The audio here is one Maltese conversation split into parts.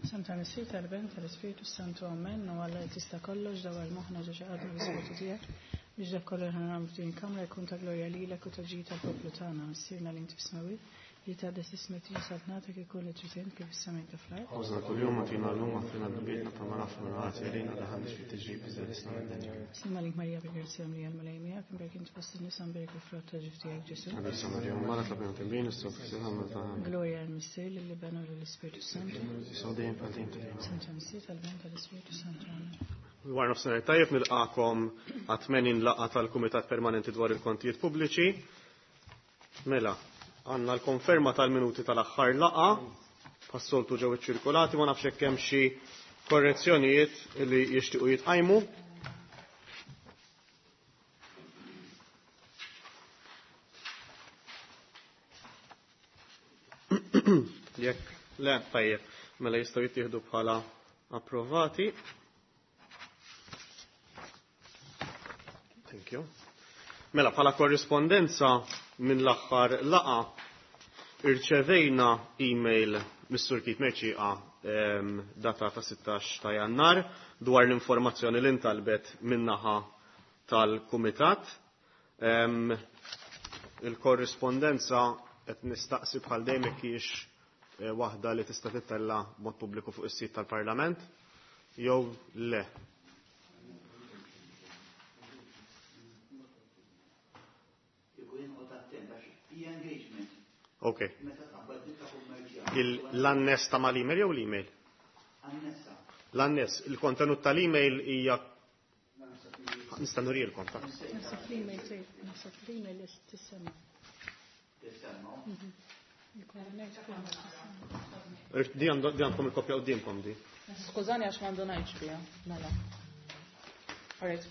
Sem tal-Missier tal-Ben tal-Ispirtu Santu Amen u Alla li tista' kollox dawar moħħna ġo xi qalbna l-Ispirtu tiegħek biex dak kollu li ħa nagħmlu f'din il-kamra jkun ta' glorja lilek u ta' ġid tal-poplu tagħna. Missierna li inti fis-smewwiet, li tgħaddes ismek tiġi saltnatek ikun li trid int kif is-sema kif fl-art. Ħobżna kuljum agħtina llum aħfrilna dnubietna bħalma naħfru l-ħati għalina daħalniex fit-tiġrib iżda ħlisna mid-dinja. Sliem għalik Marija bil-grazzja mlija l-Mulej miegħek, imbierek int fost in-nisa mbierek il-frott ta' ġuf tiegħek Ġesù. Qaddisa Marija Omm Alla tlob lilna midinbin issa u fis-siegħa tal-mewt tagħna. Amen. Glorja lill-Missier, lill-Iben u lill-Ispirtu Santu. Issa u dejjem bħal dejjem ta' dejjem. Sem tal-Missier, tal-Iben, tal-Ispirtu Santu. Amen. Wara nofsinhar tajjeb nilqakom għat-80 laqgħa tal-Kumitat Permanenti dwar il-Kontijiet Pubbliċi. Mela, għandna l-konferma tal-minuti tal-aħħar laqgħa, bħas-soltu ġew iċċirkulati, ma nafx hekk hemm xi korrezzjonijiet li jixtiequ jitqajmu. Jekk le, tajjeb, mela jistgħu jittieħdu bħala approvati. Thank you. Mela, bħala korrispondenza minn l-aħħar laqa irċevejna email mis-Sur Keith Mercieca datata 16 ta' Jannar dwar l-informazzjoni li ntalbet min-naħa tal-Kumitat. Il-korrispondenza qed nistaqsi bħal dejjem jekk hijiex eh, waħda li tista' tittella b'mod pubbliku fuq is-sit tal-Parlament jew le. Ok. L-annes ta' mal-email jew l-email? L-annes, il-kontenut tal-email hija Nista' nurilkom ta'. Naħseb l-email tgħid, naħseb l-email tissemma. Di għandkom il-kopja qudiemkom di. Skużani għax m'għandunajtx biha, mela. All right.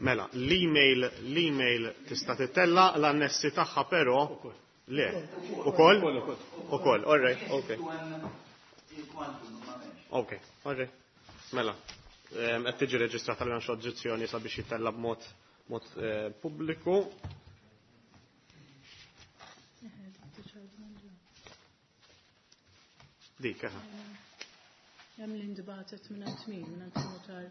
Mela, l-email l-email tista' tittella l-annessi tagħha però le. Ukoll? Ukoll, all right, okay. Ok, all right. Mela, qed tiġi reġistrata l oġġezzjoni sabiex jittella b'mod mod eh, pubbliku. Dik, aha. Hemm li ndbatet minn għand min, minn għand notar.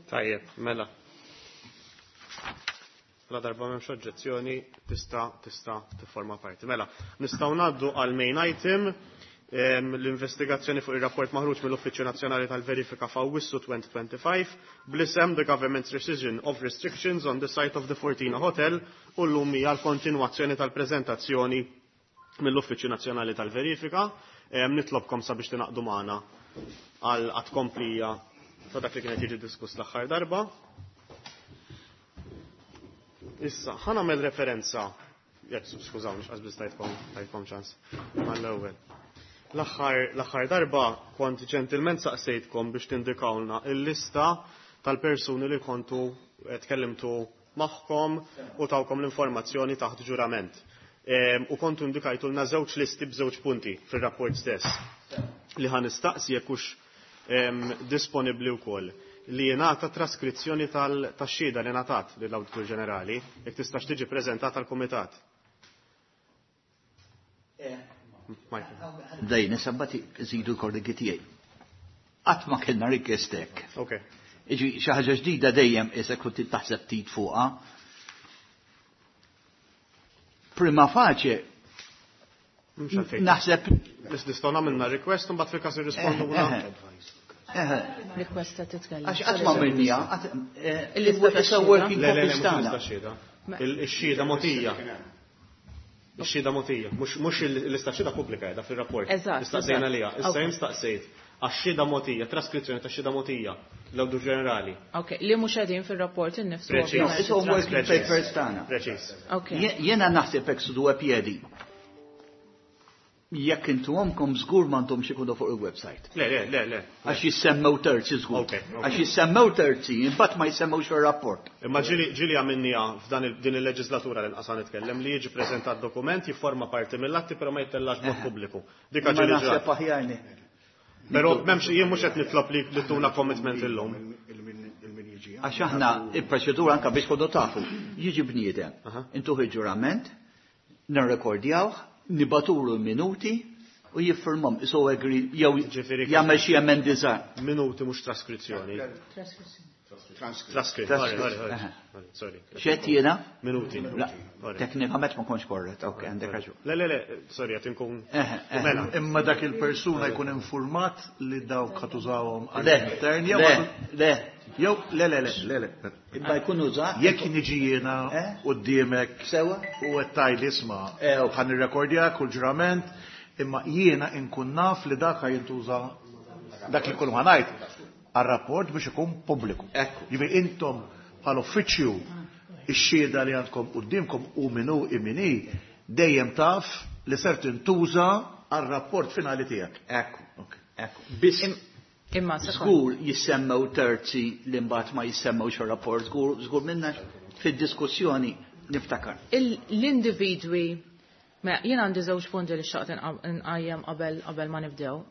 Tajjeb, mela. La darba m'hemmx oġġezzjoni tista' tista' tifforma parti. Mela, nistgħu ngħaddu għal main item l-investigazzjoni fuq ir-rapport maħruġ mill-Uffiċċju Nazzjonali tal-Verifika f'Awwissu 2025 bl-isem The Government's Rescission of Restrictions on the Site of the Fortina Hotel u llum hija l-kontinwazzjoni tal-preżentazzjoni mill-Uffiċċju Nazzjonali tal-Verifika. Nitlobkom sabiex tingħaqdu magħna għal tkomplija ta' dak li kienet jiġi diskuss l-aħħar darba. Issa, ħa nagħmel referenza, jekk skużawni x'qas biss tajtkom tajtkom ċans mal-ewwel. L-aħħar darba kont ġentilment saqsejtkom biex tindikawlna il-lista tal-persuni li kontu tkellimtu magħhom u tawkom l-informazzjoni taħt ġurament. U kontu indikajtulna żewġ listi b'żewġ punti fir-rapport stess li ħa nistaqsi jekk hux disponibbli wkoll li jingħata traskrizzjoni tax-xhieda li ngħatat lill-Awditur Ġenerali jekk tistax tiġi preżentata għall-Kumitat. Michael. Dejn, sabbati żidu l-kollegi tiegħi. Qatt ma kellna request hekk. Okay. Iġi xi ħaġa ġdida dejjem isek kont taħseb ftit fuqha. Prima facie Mhux għalfejn. naħseb Nistgħu nagħmilna request u mbagħad fil-każ irrispondu Request ta' titkellem. Għax qatt ma għamilniha, Il-lista ta' issa working Le, le, le, copies mhux tagħna. il-lista xhieda. Ix-xhieda mogħtija. Ix-xhieda mogħtija. Mhux il-lista xhieda pubblika qiegħda fir-rapport. Eżatt, Istaqsejna eżatt. liha. Issa Okay. jien staqsejt. Għax-xhieda mogħtija, traskrizzjoni ta' xhieda mogħtija l-Awditur Ġenerali. Ok, li mhux qegħdin fir-rapport innifsu. Preċiż. No, ovvjament, it's all working it-transcript. papers tagħna. Preċiż. Ok. Jiena naħseb hekk su due piedi. Jekk intuhomkom żgur m'għandhomx ikunu fuq il-website. Le, le, le, le. Għax jissemmew terzi żgur. Ok, ok. Għax jissemmew terzi, imbagħad ma jissemmewx fir-rapport. Imma ġieli ġieli għamilniha f'dan din il-leġislatura li nqasa nitkellem li jiġi preżentat dokument jifforma parti mill-atti però ma jittellax b'mod pubbliku. Dika Ma ġieli naħseb ġrat. aħjar ni. Però m'hemmx jien mhux qed nitlob li tuna commitment illum. Il-min jiġi. Għax aħna il-proċedura anka biex kodu tafu, jiġi bniedem, intuħ il-ġurament, nirrekordjawh, nibaturu l-minuti u jiffirmhom isu agree jew Ġifieri- jagħmel xi emendi żgħar. Minuti mhux traskrizzjoni. Traskrizzjoni. Traskritt, sorry, sorry, sorry. Sorry. X'qed jiena? Minuti. La, Sorry. teknikament ma kontx korrett, ok, għandek raġun. Le, le, le, sorry, qed inkun. Eħe, eħe. Mela, Imma dak il-persuna jkun informat li dawk ħa tużawhom Le, għall-intern jew le, le, jew le le le le le. imma jkun użat. Jekk niġi jiena Eh? quddiemek Sewa? u qed tgħid isma' Eh, ok. ħa nirrekordja kull ġurament, imma jiena inkun naf li dak ħa jintuża dak li kull ħa ngħid għar-rapport biex ikun pubbliku. Ekku. Jiġifieri intom bħal uffiċċju ix-xhieda li għandkom quddiemkom u min hu imini dejjem taf li ser tintuża għar-rapport finali tiegħek. Ekku, Ok. ekku. Biss Imma sekond. żgur jissemmew terzi li mbagħad ma jissemmewx ir-rapport, żgur żgur minna fid-diskussjoni niftakar. L-individwi, ma jien għandi żewġ punti li xtaqt nqajjem qabel qabel ma nibdew,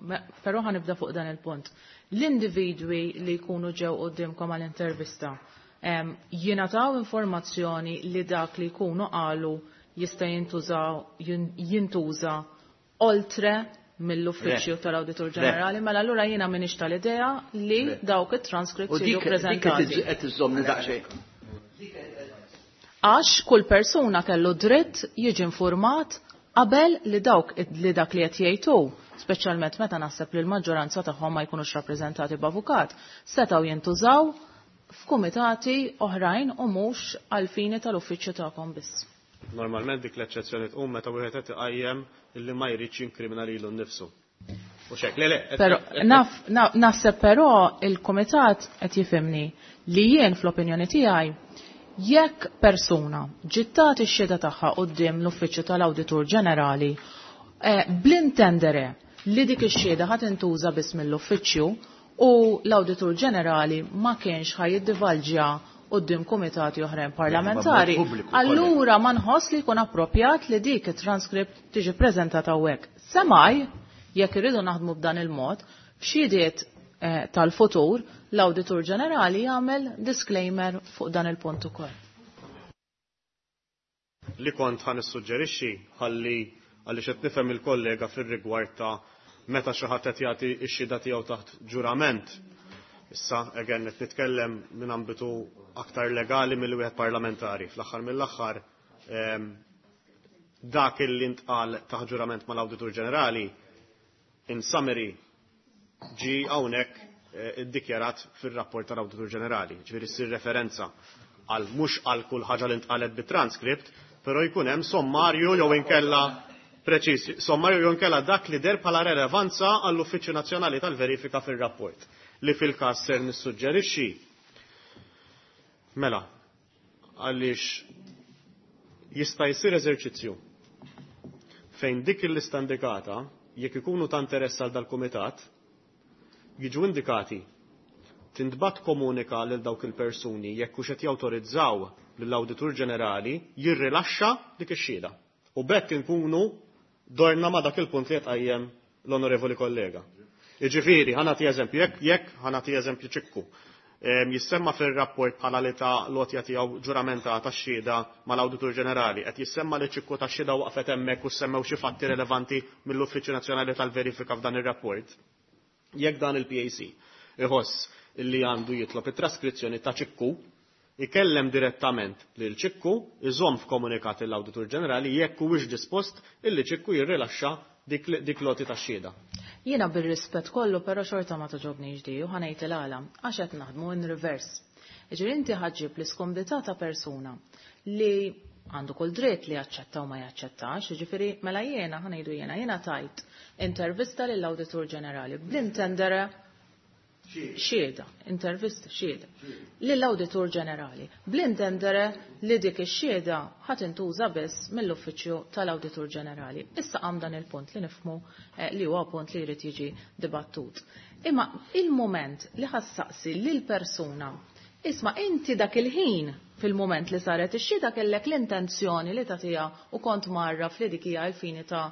però ħa nibda fuq dan il-punt. L-individwi li jkunu ġew qudiemkom għall-intervista jingħataw informazzjoni li dak li jkunu qalu jista' jintużaw jintuża oltre mill-uffiċċju Le. tal-Awditur Le. Ġenerali, mela allura jiena m'iniex tal-idea li Le. dawk U it-transcripts jiġu dik dik qed preżentati. qed iżżommni daqsxejn. Għax kull persuna kellu dritt jiġi informat qabel li dawk li dak li qed jgħidu, speċjalment meta naħseb li l-maġġoranza tagħhom ma jkunux rappreżentati b'avukat, setgħu jintużaw f'kumitati oħrajn u mhux għal fini tal-uffiċċju tagħkom biss. Normalment dik l-eċċezzjoni tqum meta wieħed qed iqajjem illi ma jridx jinkrimina lilu nnifsu. U xek, le, le. Però naf naħseb però il-kumitat qed jifhimni li jien fl-opinjoni tiegħi jekk persuna ġiet tagħti x-xhieda tagħha quddiem l-uffiċċju tal-Awditur Ġenerali bl-intendere li dik ix-xhieda ħadd intuża biss mill-uffiċċju u l-Awditur Ġenerali ma kienx ħa jiddivalġja quddiem kumitati oħrajn parlamentari, Ma pubbliku, allura ma nħoss li jkun approprjat li dik it-transkript tiġi preżentata hawnhekk. Semaj, jekk irridu naħdmu b'dan il-mod, f'xhidiet tal-futur, l-Awditur Ġenerali jagħmel disclaimer fuq dan il-punt ukoll. Li kont ħa nissuġġerixxi ħalli għaliex qed nifhem il-kollega fir-rigward ta' meta xi ħadd qed jagħti x-xhieda tiegħu taħt ġurament. Issa again qed nitkellem minn ambitu aktar legali milli wieħed parlamentari. Fl-aħħar mill-aħħar dak illi ntqal taħt ġurament mal-Awditur Ġenerali in summary ġi hawnhekk iddikjarat fir-rapport tal-Awditur Ġenerali. Ġifieri ssir referenza għal mhux għal kull ħaġa li ntqalet bit-transkript, però jkun hemm sommarju jew inkella preċiż, sommarju jew inkella dak li der bħala relevanza għall-Uffiċċju Nazzjonali tal-Verifika fir-rapport li fil-każ ser nissuġġerixxi. Mela, għaliex jista' jsir eżerċizzju fejn dik il-lista indikata jekk ikunu ta' interess għal dal-kumitat jiġu indikati tintbat komunika lil dawk il-persuni jekk hux qed jawtorizzaw lill-Awditur Ġenerali jirrilaxxa dik ix-xhieda. U b'hekk inkunu dorna ma' dak il-punt li qed qajjem l-onorevoli kollega. Jiġifieri, ħa nagħti eżempju, jekk ħa nagħti eżempju ċikku. Jissemma fir-rapport bħala li ta' lotja tiegħu ġuramentata x-xhieda mal-Awditur Ġenerali, qed jissemma li ċikku ta' xhieda waqfet hemmhekk u semmew xi fatti relevanti mill-Uffiċċju Nazzjonali tal-Verifika f'dan ir-rapport. Jekk dan il-PAC iħoss li għandu jitlob it-traskrizzjoni ta' ċikku, ikellem direttament lil ċikku, iżomm f'komunikat l-Awditur Ġenerali jekk huwiex dispost illi ċikku jirrilaxxa dik loti ta' xhieda. Jiena bir-rispett kollu però xorta ma toġobniex di u ħa ngħid il-għala għax qed naħdmu in reverse. Jiġifieri inti ħaġġib l-iskomdità ta' persuna li Għandu kull dritt li jaċċetta u ma jaċċettax, jiġifieri mela jiena ħa ngħidu jiena jiena tajt intervista lill-Awditur Ġenerali bl-intendere xhieda, intervista xhieda lill-Awditur Ġenerali bl-intendere li dik ix-xhieda ħa tintuża biss mill-Uffiċċju tal-Awditur Ġenerali. Issa qam dan il-punt li nifhmu li huwa punt li jrid jiġi dibattut. Imma il-mument li ħa ssaqsi lil persuna isma' inti dak il-ħin fil-mument li saret ix-xhieda kellek l-intenzjoni li tagħtiha u kont mgħarraf li dik hija l-fini ta'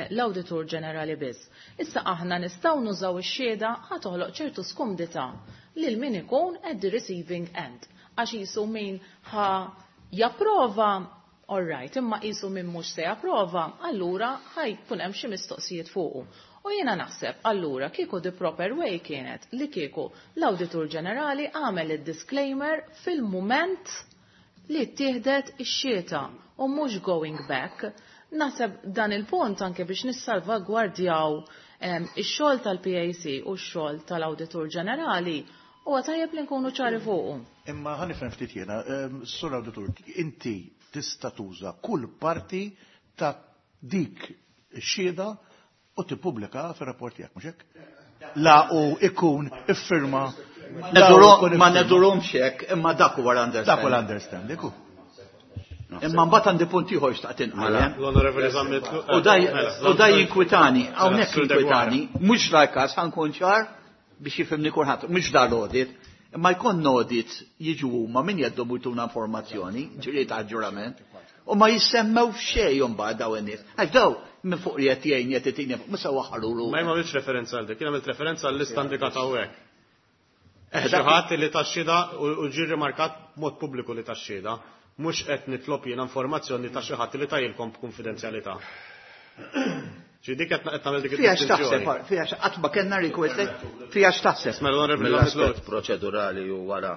l-Awditur Ġenerali biss. Issa aħna nistgħu nużaw ix-xhieda ħa toħloq ċertu skumdità lil min ikun at the receiving end. Għax qisu min ħa japprova, all right, imma qisu min mhux se japprova, allura ħa jkun hemm xi mistoqsijiet fuqu. U jiena naħseb allura kieku the proper way kienet li kieku l-Awditur Ġenerali għamel id-disclaimer fil-mument li ttieħdet ix-xhieda u mhux going back. Naħseb dan il-punt anke biex nissalvagwardjaw ix-xogħol tal-PAC u x-xogħol tal-Awditur Ġenerali huwa tajjeb li nkunu ċari fuqu. Imma ħa nifhem ftit jiena, Sur Awditur, inti tista' tuża kull parti ta' dik ix-xhieda u tippubblika fir-rapport tiegħek, mhux hekk? La u ikun iffirma. Ma nedurhomx hekk, imma dak huwa l-understanding. Dak huwa l-understanding. Imma mbagħad għandi punt ieħor xtaqt inqajjem. L-Onorevoli Zammit. U daj jinkwitani, hawnhekk jinkwitani, mhux dal-każ ħa nkun ċar biex jifhimni kulħadd, mhux dal-audit, imma jkun audit jiġu huma min jeddhom jtuna informazzjoni, ġiri ta' ġurament, u ma jissemmew f'xejn imbagħad daw in-nies. Għax daw minn fuq li qed jgħin qed itini mhux se waħħalulu. Ma jien m'għamiltx referenza għal dik, jien għamilt referenza għall-lista indikata hawnhekk. Xi ħadd li tax-xhieda u ġie rimarkat b'mod pubbliku li tax-xhieda, mhux qed nitlob jiena informazzjoni ta' xi ħadd li tajilkom b'kunfidenzjalità. Ġi dik qed nagħmel dik Fija x'taħseb, fija qatt ma kellna request, fija x'taħseb. Mela Onorevoli Mill-aspett proċedurali u wara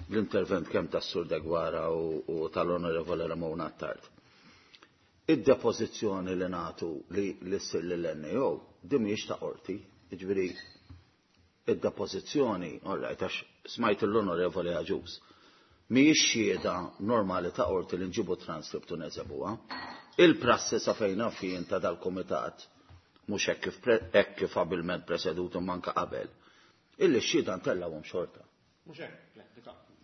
l-intervent kemm tas-Sur Deguara u tal-Onorevoli Ramona Attard. Id-depożizzjoni li nagħtu li ssir lill-NAO din mhijiex ta' qorti, jiġifieri id-depożizzjoni, all right, għax smajt l-Onorevoli Agius, mhijiex xhieda normali ta' qorti li nġibu transcript u neżebuha. Il-prassi sa fejn naf jien ta' dal-kumitat, mhux hekk kif abilment presedut u manka qabel, illi x-xhieda ntellgħuhom xorta. Mhux hekk, le,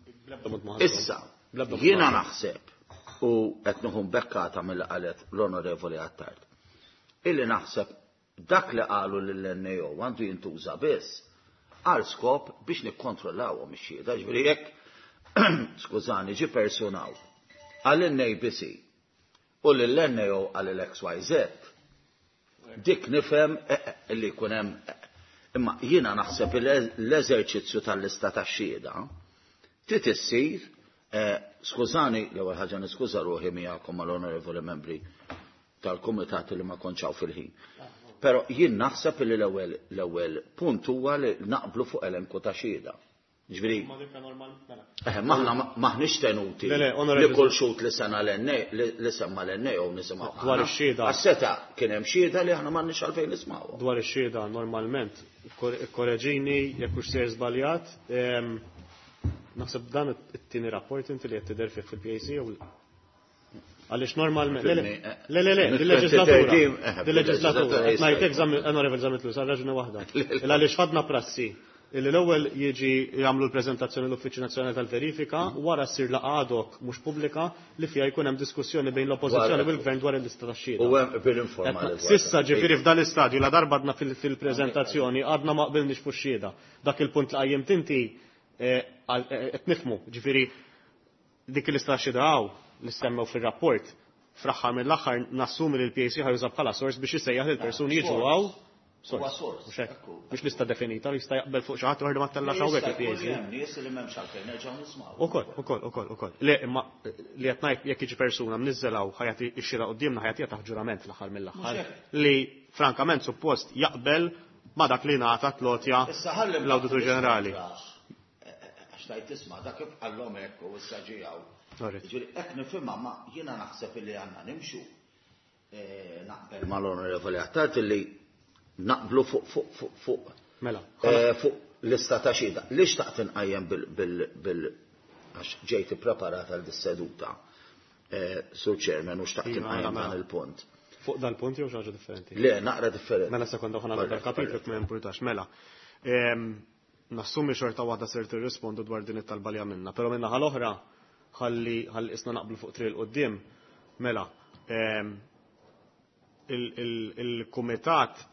dik bl-ebda mod ma ħasbu. Issa, Bl-ebda mod jiena ma ħasbu. naħseb u qed nieħu mbekkata milli qalet l-Onorevoli Attard, illi naħseb dak li qalu lill-NAO għandu jintuża biss għal skop biex nikkontrollawhom ix-xhieda. Ġifieri jekk, skużani, ġi personaw għall-NABC u lill-NAO għal l-XYZ, dik nifhem li jkun hemm, imma jiena naħseb l-eżerċizzju tal-lista tax-xhieda trid issir, skużani, l-ewwel ħaġa niskuża ruħi miegħekom mal-onorevoli membri tal-kumitat li ma kontx hawn fil-ħin. Però jien naħseb li l-ewwel punt huwa li naqblu fuq elenku ta' xhieda. Ġifieri, Ma dik normal, mela. Maħna maħniex tenuti Le, le, onorevoli li kull xut li sena l-NA, li semma l-NA u nisimgħu Dwar aħna. ix-xhieda. Għas-seta kien hemm xhieda li aħna m'għandniex għalfejn nismgħuha. Dwar ix-xhieda normalment, korreġini jekk hux sejjer żbaljat, naħseb dan it-tieni rapport inti li qed tidher fih fil-PAC jew għaliex normalment, le, le, le, le, le, dil-leġislatura, dil-leġislatura, qed ngħid hekk onorevoli Zammit Lewis, għal raġuni waħda. Il għaliex ħadna prassi illi l-ewwel jiġi jagħmlu l-preżentazzjoni l-Uffiċċju Nazzjonali tal-Verifika, wara ssir laqgħa ad hoc mhux pubblika li fiha jkun hemm diskussjoni bejn l-Oppożizzjoni u l-Gvern dwar il-lista tax-xhieda. U hemm bil-informali dwar Sissa dan. ġifieri f'dan l-istadju la darba għadna fil-preżentazzjoni għadna ma qbilniex fuq xhieda. Dak il-punt li qajjimt inti qed nifhmu, ġifieri dik il-lista tax-xhieda hawn li semmew fir-rapport, fl-aħħar mill-aħħar nassumi li l-PAC ħajuża bħala sors biex isejjaħ lil persuni jiġu hawn. Sors. Huwa sors, Mhux hekk. ekku. Mhux lista definita li jista' jaqbel fuq xi ħadd u ma tellax hawnhekk Jista' jkun il-PAC. hemm nies li m'hemmx għalfejn nerġgħu nismgħu. Ukoll, ukoll, ukoll, ukoll. Le, imma li qed ngħid jekk jiġi persuna mniżżelaw ħajati x-xira quddiemna ħajati taħt ġurament fl-aħħar mill-aħħar. Mhux hekk. Li frankament suppost jaqbel ma dak li ngħata tlotja Issa ħalli l-Awditur Ġenerali. Għax tajt tisma' dak kif qallhom hekk u issa ġijaw. Alright. Ġifieri hekk nifhimha ma jiena naħseb illi għandna nimxu. Naqbel mal-Onorevoli Attard illi naqblu fuq, fuq, fuq, fuq. Mela. Fuq lista ta' xhieda. Li xtaqt inqajjem bil, bil, bil, għax ġejt ippreparata għal dis-seduta. Sur Chairman, u xtaqt Iva, inqajjem mela. dan il-punt. Fuq dal-punt jew xi ħaġa differenti? Le, naqra differenti. Mela sekonda ħa nagħmel dal-kapitlu ma jimpurtax. Mela. Nassumi xorta waħda ser tirrispondu dwar din it-talba li għamilna, però minn naħa l-oħra ħalli ħalli isna naqblu fuq triq il-qudiem. Mela, il-kumitat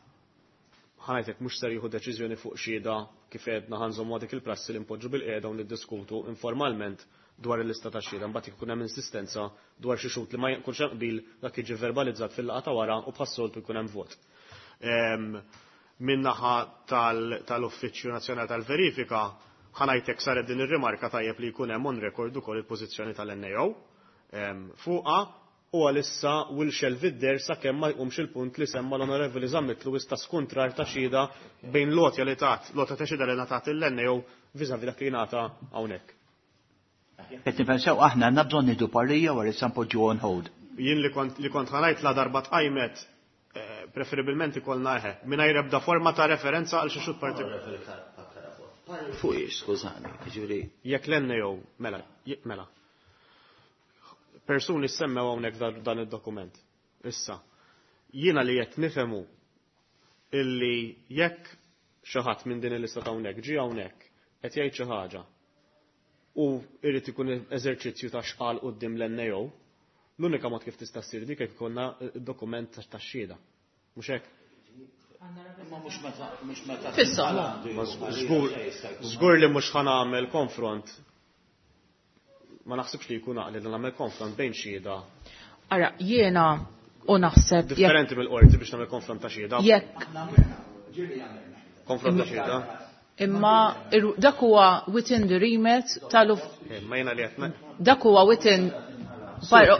ħa ngħidlek mhux ser jieħu deċiżjoni fuq xhieda kif għedna ħa nżommu dik il-prassi li npoġġu bil-qiegħda u niddiskutu informalment dwar il-lista ta' xhieda, mbagħad jkun hemm insistenza dwar xi xhud li ma jkunx hemm qbil dak jiġi verbalizzat fil-laqgħa ta' wara u bħas-soltu jkun hemm vot. Min-naħa tal-Uffiċċju Nazzjonali tal-Verifika ħa ngħidlek saret din ir-rimarka tajjeb li jkun hemm on record ukoll il-pożizzjoni tal-NAO fuqha u għalissa will shelve it there sakemm ma jqumx il-punt li semma l-Onorevoli Zammit Lewis ta' skontrar ta' xhieda bejn l-għotja li tat, l-għotja ta' xhieda li ngħatat il-NAO vis-à-vis dak li ngħata hawnhekk. Qed nifhem aħna għandna bżonn nieħdu parrija wara issa npoġġu on hold. Jien li kont ħa ngħid la darba tqajmet preferibilment ikollna eħe, mingħajr ebda forma ta' referenza għal xi xhud partikolari. Fuq ix, skużani, jiġifieri. Jekk l-NAO, mela, mela. Persuni semmew hawnhekk dan id-dokument. Issa, jiena li qed nifhemu illi jekk xi ħadd minn din il-lista ta' hawnhekk ġie hawnhekk qed jgħid xi ħaġa u irid ikun eżerċizzju ta' xqal quddiem l-NAO, l-unika mod kif tista' ssir dik jekk ikollna dokument ta' xhieda. Mhux hekk? Imma mhux meta, mhux meta Fissa. Ma żgur li mhux ħa nagħmel konfront. Ma naħsibx li jkun għaqli li nagħmel konfront bejn xhieda. Ara, jiena u naħseb jekk Differenti mill-qorti biex nagħmel konfront ta' xhieda. Jekk Konfront ta' xhieda. Imma dak huwa within the remit tal Ma jiena li qed Dak huwa within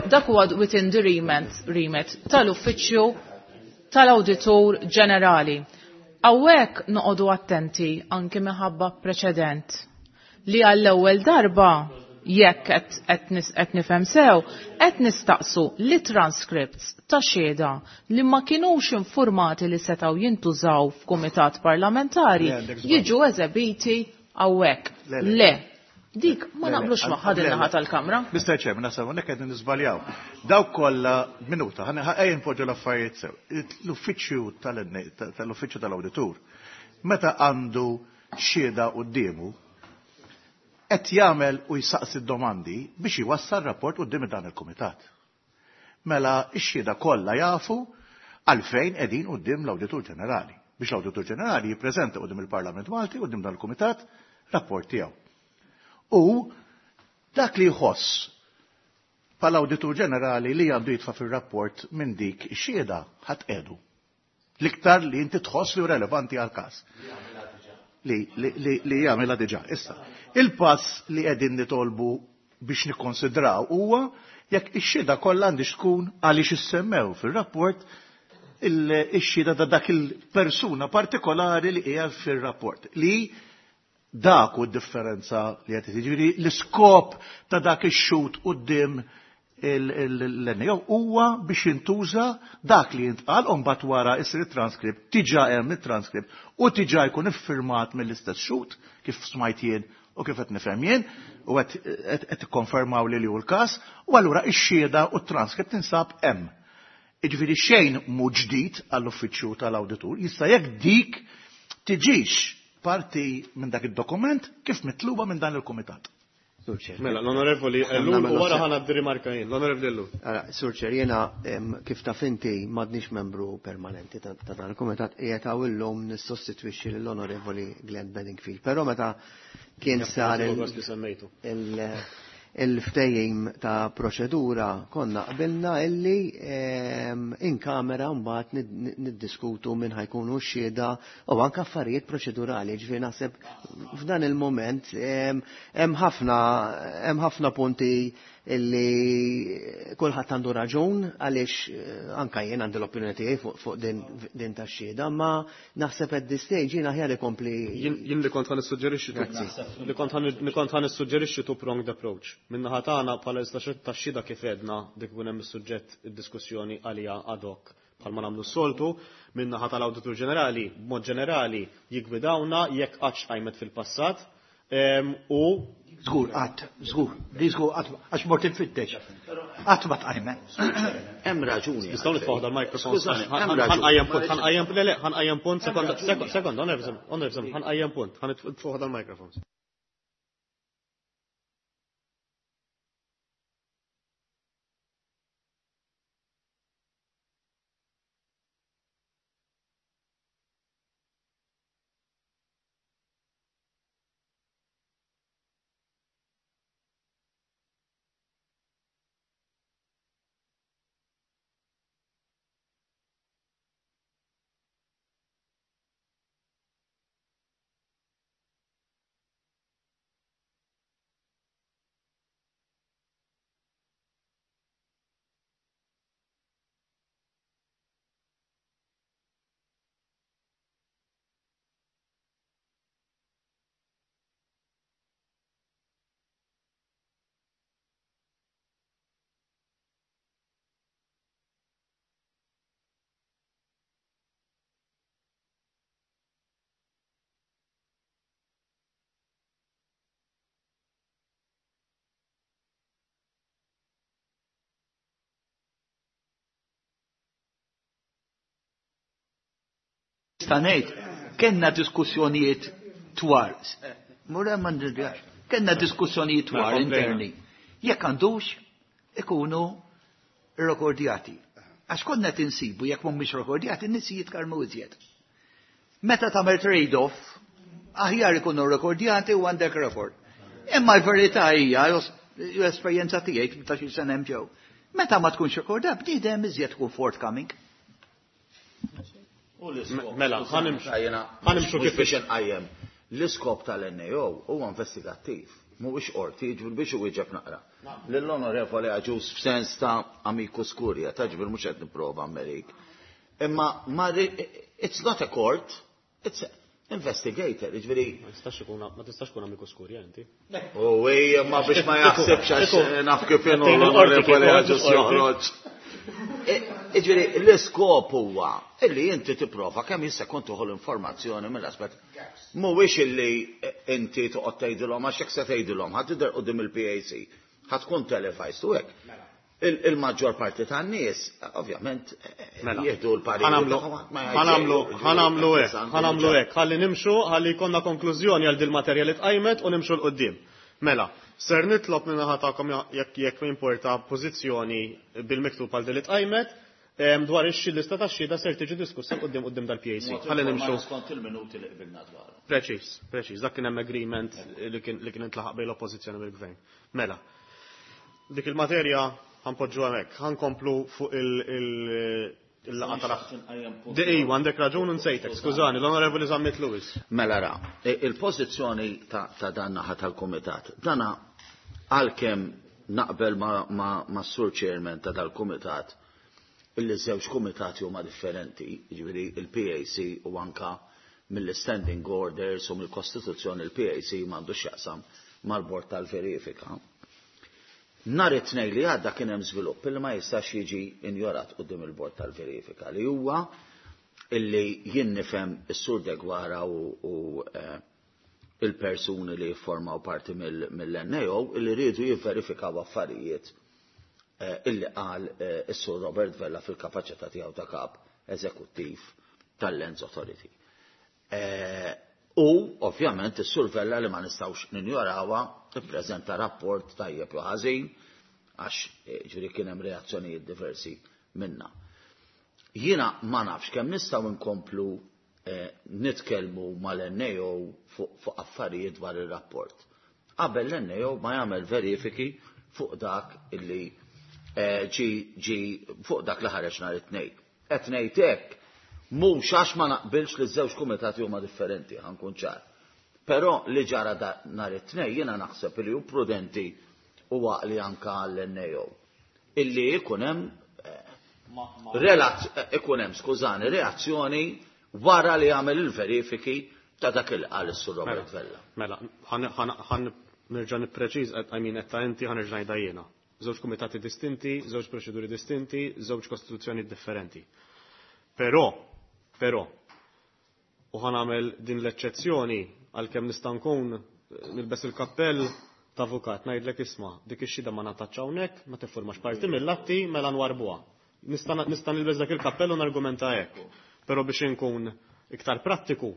dak huwa within the remit tal-Uffiċċju tal-Awditur Ġenerali. Hawnhekk noqogħdu attenti anki minħabba preċedent li għall-ewwel darba jekk qed nifhem sew, qed nistaqsu li transcripts ta' xhieda li ma kinux informati li setgħu jintużaw f'kumitat parlamentari Le, għandek żball. jiġu eżebiti hawnhekk. Le, le. Le. Dik ma Le, le, naqblux magħha din le, le. naħa tal-Kamra. Mr. Chairman, naħseb hawnhekk qegħdin niżbaljaw. Dawk kollha minuta, ejja npoġġu l-affarijiet sew. L-uffiċċju tal-uffiċċju tal-awditur meta għandu xhieda quddiemu qed jagħmel u jsaqsi d-domandi biex iwassal rapport quddiem dan il-kumitat. Mela x-xhieda kollha jafu għalfejn qegħdin quddiem l-Awditur Ġenerali biex l-Awditur Ġenerali jippreżenta quddiem il-Parlament Malti quddiem dan il-kumitat rapport tiegħu. U dak li jħoss bħala Awditur Ġenerali li għandu jitfa' fir-rapport minn dik ix-xhieda ħadd qiegħdu. L-iktar li inti tħoss li hu relevanti għal-każ. Li jagħmilha diġà. Issa, il-pass li qegħdin nitolbu biex nikkonsidraw huwa jekk ix-xhieda kollha għandix tkun għaliex issemmew fir-rapport ix-xhieda ta' dak il-persuna partikolari li hija fir-rapport. Li dak hu d-differenza li qed jiġifieri l-iskop ta' dak ix-xhud quddiem l-NAO huwa biex jintuża dak li jintqal u mbagħad wara isir it-transkript, diġà hemm it-transkript u diġà jkun iffirmat mill-istess xhud kif smajt jien u kif qed nifhem jien u qed tikkonfermaw li hu l-każ u allura x-xhieda u t-transkript tinsab hemm. Jiġifieri xejn mhu ġdid għall-uffiċċju tal-awditur, jista' jekk dik tiġix parti minn dak id-dokument kif mitluba minn dan il-kumitat. Sur Chair. Mela, l-Onorevoli Ellul u wara ħa ngħaddi rimarka jien, l-Onorevoli Ellul. Ara, Sur Chair, jiena kif taf inti m'għadniex membru permanenti ta' dan il-kumitat, qiegħed hawn illum nissostitwixxi lill-Onorevoli Glenn Bedingfield. Però meta kien sar Li semmejtu. il-ftehim ta' proċedura konna qbilna illi in kamera mbagħad niddiskutu minn ħa jkunu x-xhieda u anke affarijiet proċedurali. Ġifieri naħseb f'dan il-moment hemm ħafna punti illi kulħadd għandu raġun għaliex anke jien għandi l-opinjoni tiegħi fuq din tax-xhieda, ma naħseb at this stage jien aħjar ikompli Jien li kont ħa nissuġġerixxi tu Grazzi. li kont ħan li kont ħa nissuġġerixxi two pronged approach. Min-naħa tagħna bħala lista tax-xhieda kif għedna dik ikun hemm is-suġġett id-diskussjoni għalija ad hoc bħalma nagħmlu s-soltu, min-naħa tal-Awditur Ġenerali, b'mod ġenerali jiggwidawna jekk qattx qajmet fil-passat u Żgur qatt, żgur, li żgur qatt għax mort infittex. Qatt ma tqajmet. Hemm raġuni. Nistgħu nitfgħu dal-mikrofon. Ħanqajjem punt, ħanqajjem le le, ħanqajjem punt, sekonda, sekonda, onorevoli, ħanqajjem punt, ħanitfgħu dal-mikrofon. Nista' ngħid, kellna diskussjonijiet twal. Mura ma nirgax. Kellna diskussjonijiet twal interni. Jekk għandux ikunu rekordjati. Għax konna tinsibu jekk mhumiex rekordjati, n-nies jitkarmu iżjed. Meta tagħmel trade-off, aħjar ikunu rekordjati u għandek rekord. Imma l-verità hija, l-esperjenza tiegħi ta' xi sena hemm ġew. Meta ma tkunx rekordat, bniedem iżjed tkun forthcoming. Mela, ħanimxu kif biex inqajjem. L-iskop tal-NAO huwa investigattiv, mhuwiex qorti, jiġifieri biex iwieġeb naqra. Lill-Onorevoli Agius f'sens ta' amicus curia, ta' ġifieri mhux qed nipprova Amerik. Imma it's not a court, it's investigator, jiġifieri. Ma tistax ikun ma tistax tkun amicus curia inti. U hija ma biex ma jaħsibx għax naf kif inhu l-Onorevoli Agius joħroġ. Jiġifieri l-iskop huwa illi inti tipprova kemm jista' jkun tieħu l-informazzjoni mill-aspett. Mhuwiex illi inti toqgħod tgħidilhom għax hekk se tgħidilhom ħadd tidher quddiem il-PAC, ħadd tkun televised u hekk. Il-maġġor parti tan-nies, ovvjament, jieħdu l-parir. Ħanamlu hekk, ħanamlu hekk, ħalli nimxu, ħalli jkollna konklużjoni għal dil-materja li tqajmet u nimxu 'l quddiem. Mela, ser nitlob minn naħa tagħkom jekk importa pożizzjoni bil-miktub għal din li tqajmet dwar ix-lista tax-xhieda ser tiġi diskussa quddiem quddiem dal-PAC. Ħalli nimxu. Skont il-minuti li qbilna dwarhom. Preċiż, preċiż, dak kien hemm agreement li kien intlaħaq bejn l-oppożizzjoni u l-gvern. Mela, dik il-materja ħanpoġġu hemmhekk, ħankomplu fuq il-laqgħa tal Iva, għandek raġun nsejtek, skużani, l-Onorevoli Zammit Lewis. Mela ra, il-pożizzjoni ta' dan naħa tal-Kumitat, dana għalkemm naqbel ma' Sur Chairman ta' dal-Kumitat, illi żewġ kumitati huma differenti, jiġifieri il-PAC u anka mill-standing orders u mill-Kostituzzjoni il-PAC m'għandux x'jaqsam mal-Bord tal-Verifika. Nhar it-Tnejn li għadda kien hemm żvilupp illi ma jistax jiġi injorat quddiem il-Bord tal-Verifika li huwa illi jien nifhem is-Sur Deguara u il-persuni li jiffurmaw parti mill-NAO illi rridu jivverifikaw affarijiet illi qal is-Sur Robert Vella fil-kapaċità tiegħu ta' kap eżekuttiv tal-Lands Authority. U ovvjament is-Sur Vella li ma nistgħux ninjorawha ippreżenta rapport tajjeb jew ħażin għax ġifieri kien hemm reazzjonijiet diversi minna. Jiena ma nafx kemm nistgħu nkomplu nitkellmu mal-NAO fuq affarijiet dwar ir-rapport. Qabel l-NAO ma jagħmel verifiki fuq dak illi ġi fuq dak li ħareġ nhar it-Tnejn. Qed ngħid hekk mhux għax ma naqbilx li ż-żewġ kumitati huma differenti, ħankun ċar. Però li ġara nhar it-Tnejn jiena naħseb li hu prudenti u għaqli anka għall-NAO. Illi ikun hemm ikun hemm, skużani, reazzjoni wara li jagħmel il-verifiki ta' dak il qal is-Sur Robert Vella. Mela, ħan nerġa' nippreċiż, I mean, qed ta' inti ħa nerġa' ngħidha jiena. Żewġ kumitati distinti, żewġ proċeduri distinti, żewġ kostituzzjoni differenti. Però, però, u ħa nagħmel din l-eċċezzjoni għalkemm nista' nkun nilbes il-kappell ta' avukat ngħidlek isma' dik ix-xhieda ma ngħatatx hawnhekk, ma tiffurmax parti mill-atti mela nwarbuha. Nista' nista' nilbes dak il-kappell u nargumenta hekk. Però biex inkun iktar prattiku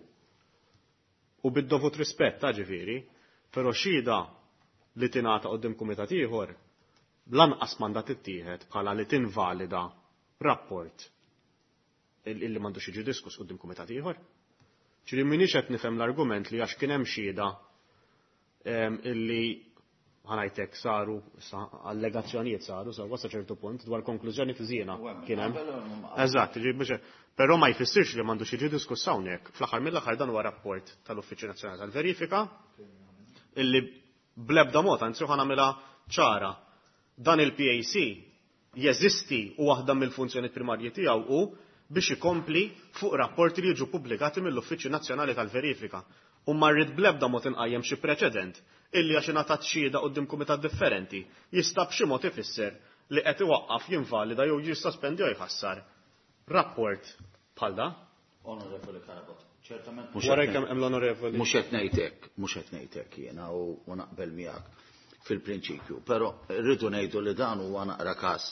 u bid-dovut rispett ta' ġifieri, però xhieda li tingħata quddiem kumitat ieħor lanqas m'għandha tittieħed bħala li tinvalida rapport illi m'għandux jiġi diskuss quddiem kumitat ieħor. Ġifieri m'iniex qed nifhem l-argument li għax kien hemm xhieda illi ħa ngħidlek saru sa allegazzjonijiet saru sewwa sa ċertu punt dwar konklużjoni fiżiena kien hemm. Eżatt, ġifieri però ma jfissirx li m'għandux jiġi diskuss hawnhekk. Fl-aħħar mill-aħħar dan huwa rapport tal-Uffiċċju Nazzjonali tal-Verifika illi bl-ebda mod, anzi ħa nagħmilha ċara, dan il-PAC jeżisti u waħda mill-funzjoni primarji tiegħu hu biex ikompli fuq rapporti li jiġu pubblikati mill-Uffiċċju Nazzjonali tal-Verifika. U ma rrid bl-ebda mod inqajjem xi preċedent illi għax ingħatat xhieda quddiem kumitat differenti jista' b'xi mod ifisser li qed iwaqqaf jinvalida jew jissospendi jew jħassar rapport bħal da. Onorevoli Carabott, ċertament mhux Wara kemm hemm l-onorevoli. Mhux qed ngħidlek, mhux qed ngħidlek jiena u naqbel miegħek fil-prinċipju, però rridu ngħidu li dan huwa naqra każ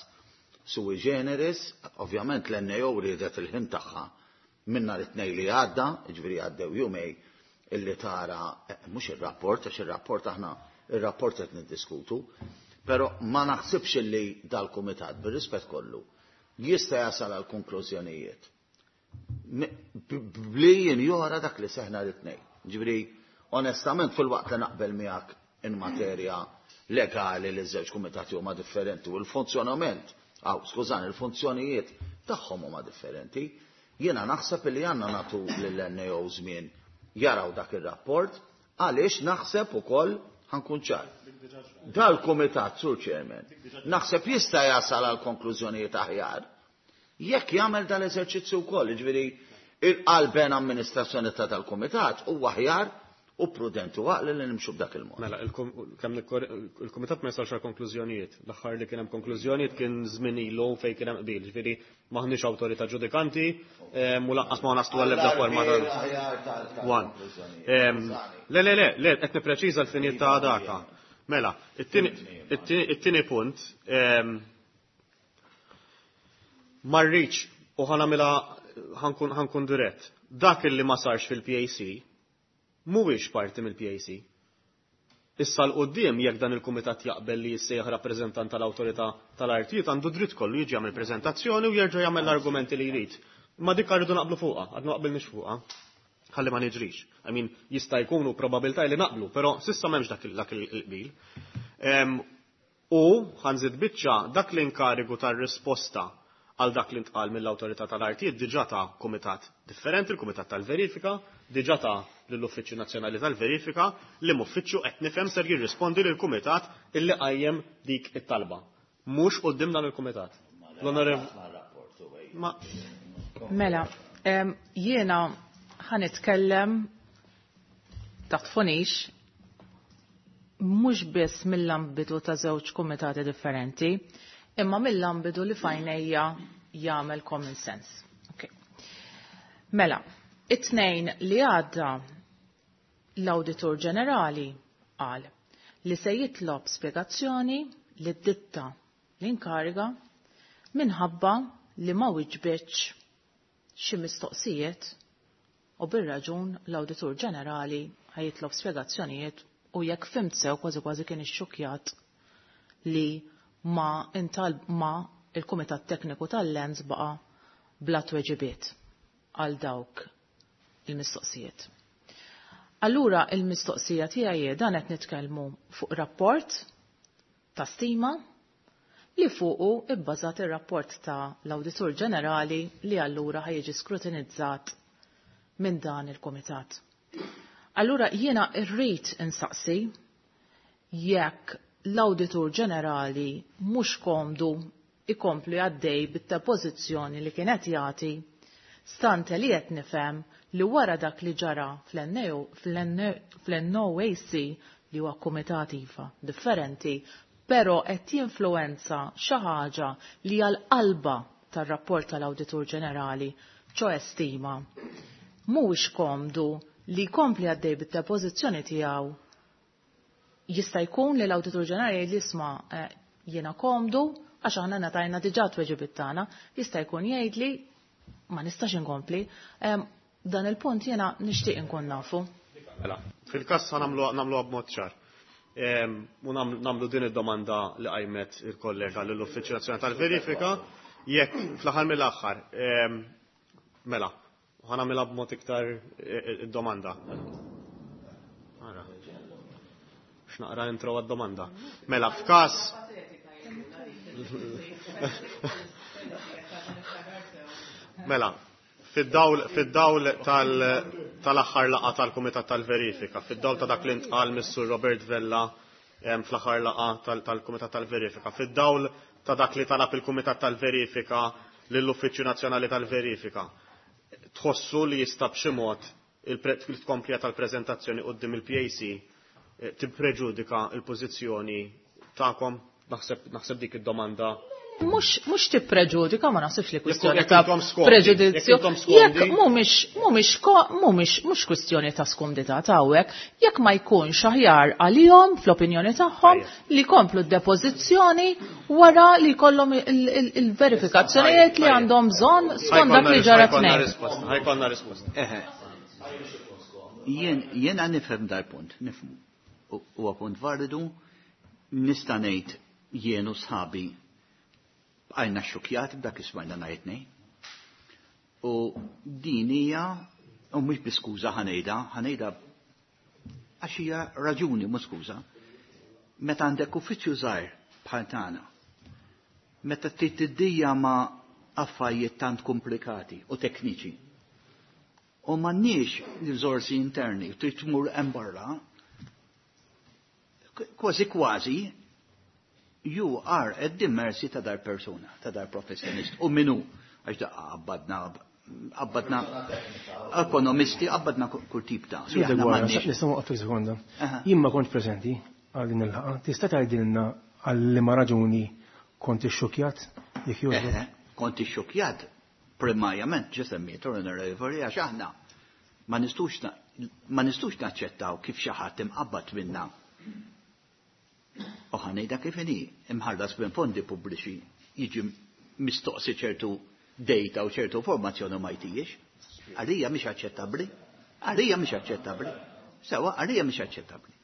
sui generis, ovvjament l-NAO riedet il-ħin tagħha minn nhar it-Tnejn li għadda, jiġifieri għaddew jumej illi tara mhux ir-rapport, għax ir-rapport aħna ir-rapport qed niddiskutu, però ma naħsibx illi dal-kumitat bir-rispett kollu jista' jasal għal konklużjonijiet bli jinjora dak li seħna l-tnejn. Ġifieri, onestament fil-waqt li naqbel miegħek in materja legali li ż-żewġ kumitati huma differenti u l-funzjonament, aw, skużani, il-funzjonijiet tagħhom huma differenti, jiena naħseb li għandna nagħtu lill-NAO żmien jaraw dak ir-rapport għaliex naħseb ukoll ħa nkun ċar. Dal-kumitat, Sur Chairman, naħseb jista' jasal għal konklużjonijiet aħjar jekk jagħmel dal-eżerċizzju wkoll, jiġifieri il-qalben amministrazzjoni ta' tal-kumitat huwa aħjar u prudenti u għaqli li nimxu b'dak il-mod. Mela, kemm il-kumitat ma jasalx għal konklużjonijiet. L-aħħar li kien hemm konklużjonijiet kien żmien ilu fejn kien hemm qbil, ġifieri m'aħniex awtorità ġudikanti u lanqas ma naslu għall-ebda forma ta' One. Le, le, le, le, qed nippreċiża l-finijiet ta' daka. Mela, it-tieni punt ma rridx u ħa nagħmilha ħa nkun dirett. Dak illi ma sarx fil-PAC mhuwiex parti mill-PAC. Issa 'l quddiem jekk dan il-kumitat jaqbel li jissejjaħ rappreżentant tal-awtorità tal-artijiet għandu dritt kollu jiġi jagħmel preżentazzjoni u jerġa' jagħmel l-argumenti li jrid. Ma dik rridu naqblu fuqha, għadna naqbilniex fuqha. Ħalli ma niġrix. I mean, jista' jkunu probabilità li naqblu, però s'issa m'hemmx dak il-qbil. U ħa nżid biċċa dak l-inkarigu tar-risposta għal dak li ntqal mill-awtorità tal-artijiet diġà ta' kumitat differenti, il-Kumitat tal-Verifika, diġà ta' lill-Uffiċċju Nazzjonali tal-Verifika, li uffiċċju qed nifhem ser jirrispondi lill kumitat illi qajjem dik it-talba. Mhux quddiem dan il-kumitat. L-onorev Ma Mela, jiena ħa nitkellem taħt fonix mhux biss mill-ambitu ta' żewġ kumitati differenti, imma mill-ambitu li f'għajnejja jagħmel common sense. Okay. Mela, it-Tnejn li għadda l-Awditur Ġenerali qal li se jitlob spjegazzjoni li d-ditta l-inkariga minħabba li ma wiġbitx xi mistoqsijiet u bir-raġun l-Awditur Ġenerali ħa jitlob spjegazzjonijiet u jekk fhimt sew kważi kważi kien ixxukjat li ma intal ma il-Kumitat Tekniku tal-Lands baqa bla tweġibiet għal dawk il-mistoqsijiet. Allura il-mistoqsija tiegħi dan qed nitkellmu fuq rapport ta' stima li fuqu ibbażat ir-rapport ta' l-Awditur Ġenerali li allura ħa jiġi skrutinizzat minn dan il-Kumitat. Allura jiena rrid insaqsi jekk l-Awditur Ġenerali mhux komdu ikompli għaddej bit-pożizzjoni li kienet jagħti stante li qed nifhem li wara dak li ġara fl-NOAC li huwa kumitat iva differenti, però qed jinfluenza xi ħaġa li għal qalba tar-rapport tal-Awditur Ġenerali, ċoè stima. Mhuwiex komdu li jkompli għaddej bit-depożizzjoni tiegħu. Jista' jkun li l-Awditur Ġenerali jgħid li isma' jiena komdu għax aħna ngħatajna diġà tweġibiet tagħna, jista' jkun jgħid li ma nistax inkompli. Dan il-punt jiena nixtieq inkun nafu. Mela, fil-każ sa nagħmluha b'mod ċar. U nagħmlu din id-domanda li qajmet il-kollega lill-Uffiċċju Nazzjonali tal-Verifika jekk fl-aħħar mill-aħħar mela, ħa nagħmilha b'mod iktar id-domanda. Ara. X'naqra intro għad-domanda. Mela, f'każ Mela, fid-dawl fid-dawl tal-aħħar laqgħa tal-Kumitat tal-Verifika, fid-dawl ta' dak li ntqal mis-Sur Robert Vella fl-aħħar laqgħa tal-Kumitat tal-Verifika, fid-dawl ta' dak li talab il-Kumitat tal-Verifika lill-Uffiċċju Nazzjonali tal-Verifika, tħossu li jista' b'xi mod il-tkomplija tal-preżentazzjoni quddiem il-PAC tippreġudika l-pożizzjoni tagħkom? Naħseb dik id-domanda. Mhux tippreġudika, ma naħsibx li kwistjoni ta' preġudizzju. Jekk mhumiex mhumiex mhumiex mhux kwistjoni ta' skumdità ta' hawnhekk, jekk ma jkunx aħjar għalihom fl-opinjoni tagħhom li jkomplu d-depożizzjoni wara li jkollhom il-verifikazzjonijiet li għandhom bżonn skont dak li ġara tnejn. Ħajkonna risposta. Eħe. Jiena nifhem dal-punt, nifhmu. Huwa punt validu, nista' ngħid jien u sħabi bqajna xxukjati b'dak li smajna nhar it-Tnejn. U din hija, u mhux bi skuża ħa ngħidha, ħa ngħidha għax hija raġuni mhux skuża. Meta għandek uffiċċju żgħir bħal tagħna, meta trid tiddija ma' affarijiet tant komplikati u tekniċi, u m'għandniex riżorsi interni, trid tmur hemm barra, kważi kważi you are at the mercy ta' dar persuna, ta' dar professjonist. U minu, għax da qabbadna, qabbadna ekonomisti, qabbadna kull tip ta' Sur Deguara, nista' nwaqfek sekonda. Jien ma kontx preżenti għal din il-laqgħa. Tista' tgħidilna għal liema raġuni kont ixxukkjat jekk jogħġbok? Kont ixxukkjat primarjament ġa semmejtu l-Onorevoli għax aħna ma nistgħux ma nistgħux naċċettaw kif xi ħadd imqabbad minna u ħa ngħidha kif inhi, imħallas minn fondi pubbliċi jiġi mistoqsi ċertu data u ċertu informazzjoni u ma jtijiex. Għalija mhix aċċettabbli. Għalija mhix aċċettabbli. Sewa, għalija mhix aċċettabbli.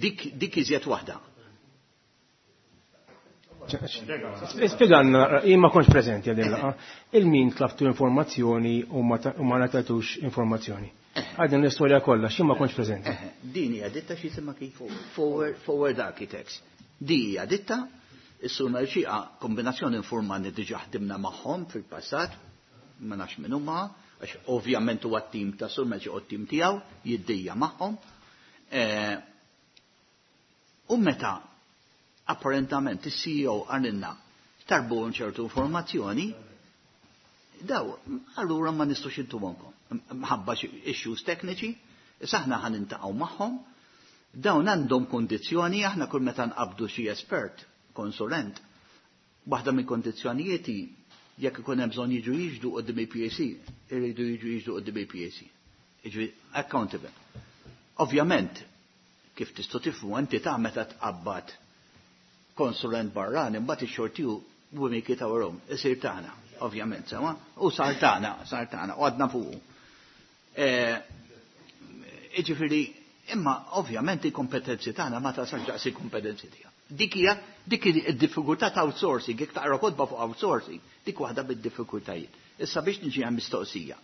Dik dik iżjed waħda. Spjegalna, jien ma kontx preżenti għal din il-laqgħa, il-min tlabtu informazzjoni u ma ngħatatux informazzjoni. Għal din l-istorja kollha, x'jien ma kontx preżenti. Din hija ditta xi jisimha kif Forward Architects. Di hija ditta, is-Sur Mercieca kombinazzjoni informani diġà ħdimna magħhom fil-passat, ma nafx min huma, għax ovvjament huwa t-tim ta' Sur Mercieca u t-tim tiegħu jiddejja magħhom. U meta apparentament is-CEO qalilna tarbuhom ċertu informazzjoni, daw allura ma nistgħux intuhomkom. Mħabba xi issues tekniċi, issa aħna ħa nintaqgħu magħhom, dawn għandhom kondizzjoni, aħna kull meta nqabdu xi espert, konsulent, waħda mill-kondizzjonijiet hi jekk ikun hemm bżonn jiġu jiġdu quddiem il-PAC, iridu jiġu jiġdu quddiem il-PAC. Jiġifieri accountable. Ovvjament, kif tistgħu tifhmu entità meta tqabbad konsulent barrani, mbagħad ix-xogħol tiegħu we make it our own, isir tagħna, ovvjament, sewa, u sar tagħna, sar tagħna, u għadna fuqu. Jiġifieri, imma ovvjament il-kompetenzi tagħna ma tasalx daqs il-kompetenzi tiegħu. Dik hija dik id-diffikultà ta' outsourcing, jekk taqra kotba fuq outsourcing, dik waħda bid-diffikultajiet. Issa biex niġi għal mistoqsija.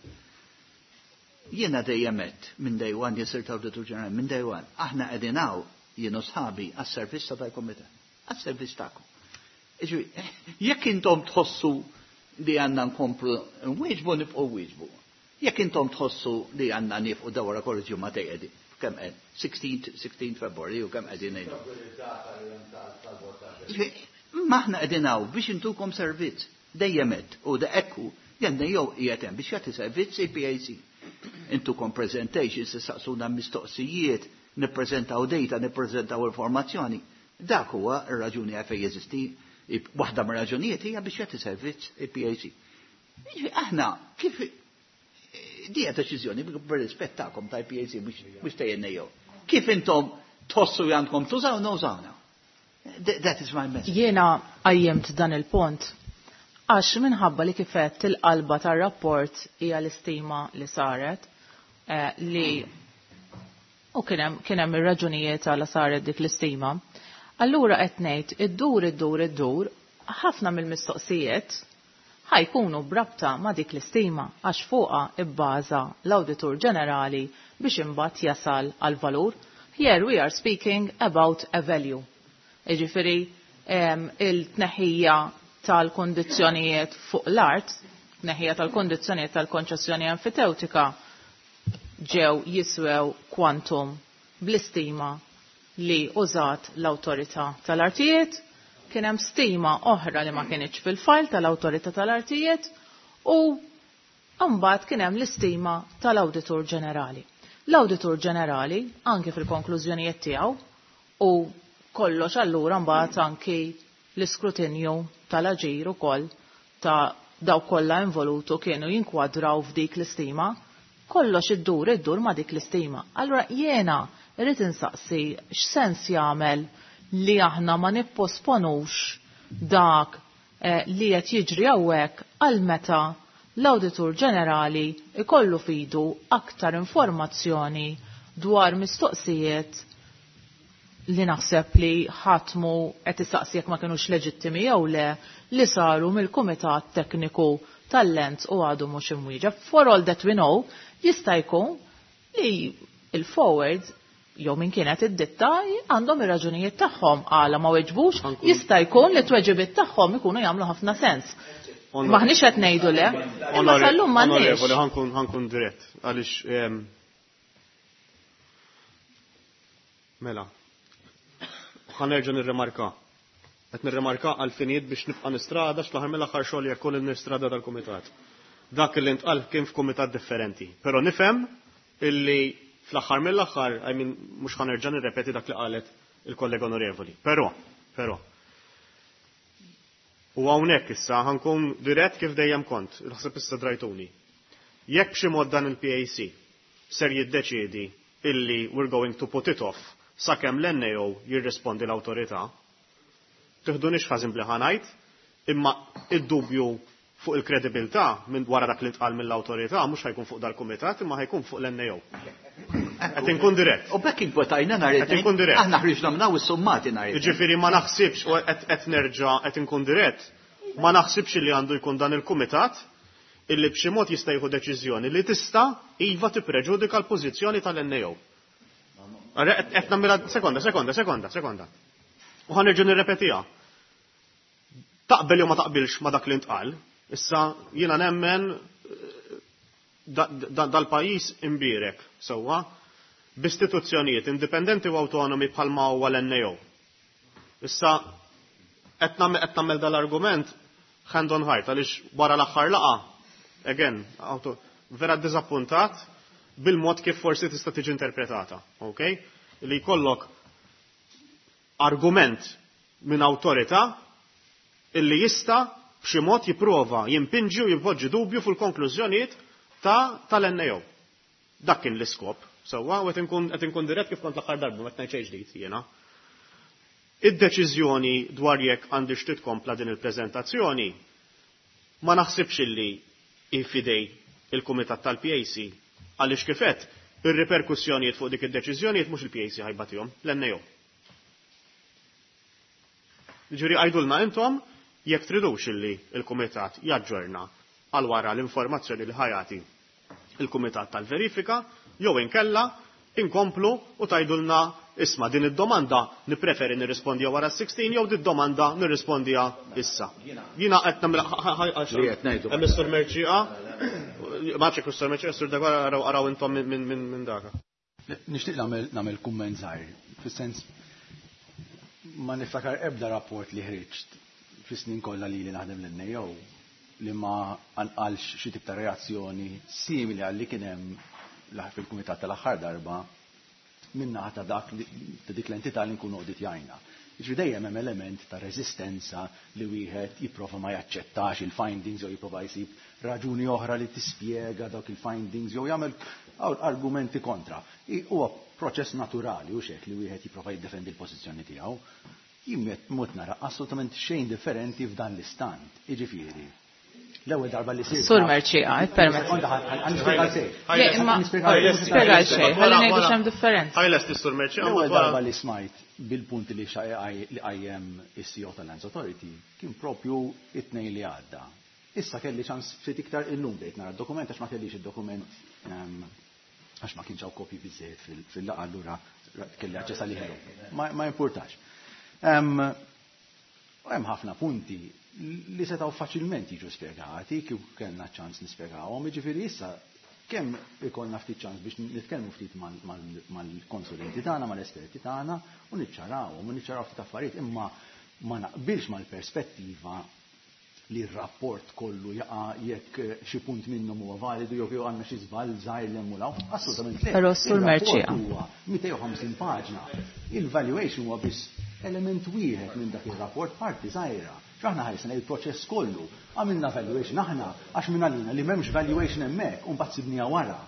Jiena dejjem għedt minn day one, jien sirt Awditur Ġenerali minn day one, aħna qegħdin hawn jien u sħabi għas-servizz ta' dal-kumitat, għas-servizz tagħkom. Jiġifieri, jekk intom tħossu li għandna nkomplu nwieġbu nibqgħu nwieġbu. Jekk intom tħossu li għandna niefqu da wara kollox ġimgħa qegħdin kemm qed 16 16 February u kemm qegħdin ngħidu. Ma aħna qegħdin hawn biex intukom servizz. Dejjem għedt u da ekku jenna jew qiegħed hemm biex jagħti servizz il-PAC. Intukom presentations, tistaqsuna mistoqsijiet, nippreżentaw data, nippreżentaw informazzjoni. Dak huwa r-raġuni għalfejn jeżisti, waħda mir-raġunijiet hija biex jagħti servizz il-PAC. Aħna kif di hija deċiżjoni bir-rispett tagħkom tal-PAC mhux ta' NAO. Kif intom Tħossu li għandkom tużawna, użawna. That is my message. Jiena qajjimt dan il-punt għax minħabba li kif għedt il-qalba tar-rapport hija l-istima li saret li u kien hemm kien hemm ir-raġunijiet għala saret dik l-istima. Allura qed ngħid iddur iddur iddur ħafna mill-mistoqsijiet ħa jkunu b'rabta ma' dik l-istima għax fuqha ibbaża l-Awditur Ġenerali biex imbagħad jasal għall-valur. Here we are speaking about a value. Jiġifieri il-tneħħija tal-kundizzjonijiet fuq l-art, tneħħija tal-kundizzjonijiet tal-konċessjoni enfitewtika ġew jiswew kwantum bl-istima li użat l-Awtorità tal-Artijiet, kien hemm stima oħra li ma kinitx fil-fajl tal-Awtorità tal-Artijiet u mbagħad kien hemm l-istima tal-Awditur Ġenerali. L-Awditur Ġenerali anki fil-konklużjonijiet tiegħu u kollox allura mbagħad anki l-iskrutinju tal-aġir ukoll ta' dawk kollha involutu kienu jinkwadraw f'dik l-istima, kollox iddur iddur ma' dik l-istima. Allura jiena irrid insaqsi x'sens jagħmel li aħna ma nipposponux dak li qed jiġri hawnhekk għal meta l-Awditur Ġenerali ikollu f'idu aktar informazzjoni dwar mistoqsijiet li naħseb li ħadd mhu qed isaqsi jekk ma kinux leġittimi jew le li saru mill-Kumitat Tekniku tal-Lent u għadu mhux imwieġeb. For all that we know, jista' jkun li il-forwards jew min kienet id-ditta għandhom ir-raġunijiet tagħhom għala ma weġbux, jista' jkun li t-tweġibiet tagħhom ikunu jagħmlu ħafna sens. Maħniex qed ngħidu le, imma sal-lum m'għandniex. Onorevoli, ħankun dirett għaliex mela. Ħa nerġa' nirrimarka. Qed nirrimarka għal finijiet biex nibqa' nistrada x'fl-aħħar mill-aħħar xogħol jekk ukoll nistrada dal-kumitat. Dak li ntqal kien f'kumitat differenti. Però nifhem illi fl-aħħar mill-aħħar, I mean, mhux ħa nerġa' nirrepeti dak li qalet il-kollega onorevoli. Però, però, u hawnhekk issa ħankun dirett kif dejjem kont, naħseb issa drajtuni. Jekk b'xi mod dan il-PAC ser jiddeċiedi illi we're going to put it off sakemm l-NAO jirrispondi l-awtorità, tiħdunix ħażin bli ħa ngħid, imma id-dubju fuq il-kredibilità minn wara dak li ntqal mill-awtorità mhux ħajkun fuq dal-kumitat imma ħajkun fuq l-NAO. Qed inkun dirett. U bekk inkwetajna nhar Qed inkun dirett. Aħna ħriġna minn hawn is-summati nhar Jiġifieri ma naħsibx u qed nerġa' qed inkun dirett, ma naħsibx li għandu jkun dan il-kumitat illi b'xi mod jista' jieħu deċiżjoni li tista' iva tippreġudika l-pożizzjoni tal-NAO. Qed nagħmilha sekonda, sekonda, sekonda, sekonda. U ħa nerġa' nirrepetiha. Taqbel jew ma taqbilx ma dak li ntqal, issa jiena nemmen dal-pajjiż imbierek sewwa b'istituzzjonijiet indipendenti u awtonomi bħalma huwa l-NAO. Issa qed nagħmel dal-argument hand on heart għaliex wara l-aħħar laqgħa, again, vera ddiżappuntat bil-mod kif forsi tista' tiġi interpretata, okay? Li jkollok argument minn awtorità illi jista' b'xi mod jipprova jimpinġi u jimpoġġi dubju fil-konklużjonijiet tal-NAO. Dak kien l-iskop. Sewwa, u qed inkun dirett kif kont l-aħħar darba, ma qed ngħid xejn ġdid jiena. Id-deċiżjoni dwar jekk għandix titkompla din il-preżentazzjoni ma naħsibx illi hi f'idej il-Kumitat tal-PAC għaliex kif għedt ir-riperkussjonijiet fuq dik id-deċiżjonijiet mhux il-PAC ħajbatihom, l-NAO. Ġifieri għidulna intom jekk tridux illi il-Kumitat jaġġorna għal wara l-informazzjoni li ħajati il-Kumitat tal-Verifika jew inkella inkomplu u tgħidulna isma' din id-domanda nippreferi nirrispondija wara 16 jew din domanda nirrispondija issa. Jiena qed nagħmel Li qed ngħidu. Hemm is-Sur Mercieca, ma nafx jekk is-Sur Mercieca, is-Sur Deguara araw araw intom minn daka. Nixtieq nagħmel kumment żgħir, fis-sens ma niftakar ebda rapport li ħriġt fis-snin kollha li naħdem l-NAO li ma anqalx xi tip ta' reazzjoni simili għal li kien hemm fil-kumitat tal-aħħar darba minnaħa ta' dak ta' dik l-entità li nkunu awditjajna. Jiġifieri dejjem hemm element ta' reżistenza li wieħed jipprova ma jaċċettax il-findings jew jipprova jsib raġuni oħra li tispjega dawk il-findings jew jagħmel argumenti kontra. Huwa proċess naturali u xek li wieħed jipprova jiddefendi l-pożizzjoni tiegħu. Jien mhux nara assolutament xejn differenti f'dan l-istant. Jiġifieri, l-ewwel darba li sirt. Sur Mercieca, permezz. Le, imma spjega xejn, ħalli ngħidu x'hemm differenza. Ħa jlesti s-Sur Mercieca. L-ewwel darba li smajt bil-punti li qajjem is-CEO tal-Lands Authority kien propju it-Tnejn li għadda. Issa kelli ċans ftit iktar illum bdejt nara d-dokument għax ma kellix id-dokument għax ma kienx hawn kopji biżejjed fil-laqgħa, allura kelli aċċess għalih illum. Ma jimpurtax. Hemm ħafna punti li setgħu faċilment jiġu spjegati kieku kellna ċans nispjegawhom, jiġifieri issa kemm ikollna ftit ċans biex nitkellmu ftit mal-konsulenti tagħna, mal-esperti tagħna u niċċarawhom u niċċaraw ftit affarijiet, imma ma naqbilx mal-perspettiva li r-rapport kollu jaqa' jekk xi punt minnhom huwa validu jew jew għandna xi żball żgħir l hemm u l Assolutament le. Però Sur Mercieca. Huwa 250 paġna. Il-valuation huwa biss element wieħed minn dak ir-rapport, parti żgħira. X'aħna ħarisna il-proċess kollu. Għamilna valuation aħna għax minn għalina li m'hemmx valuation hemmhekk u mbagħad sibniha wara.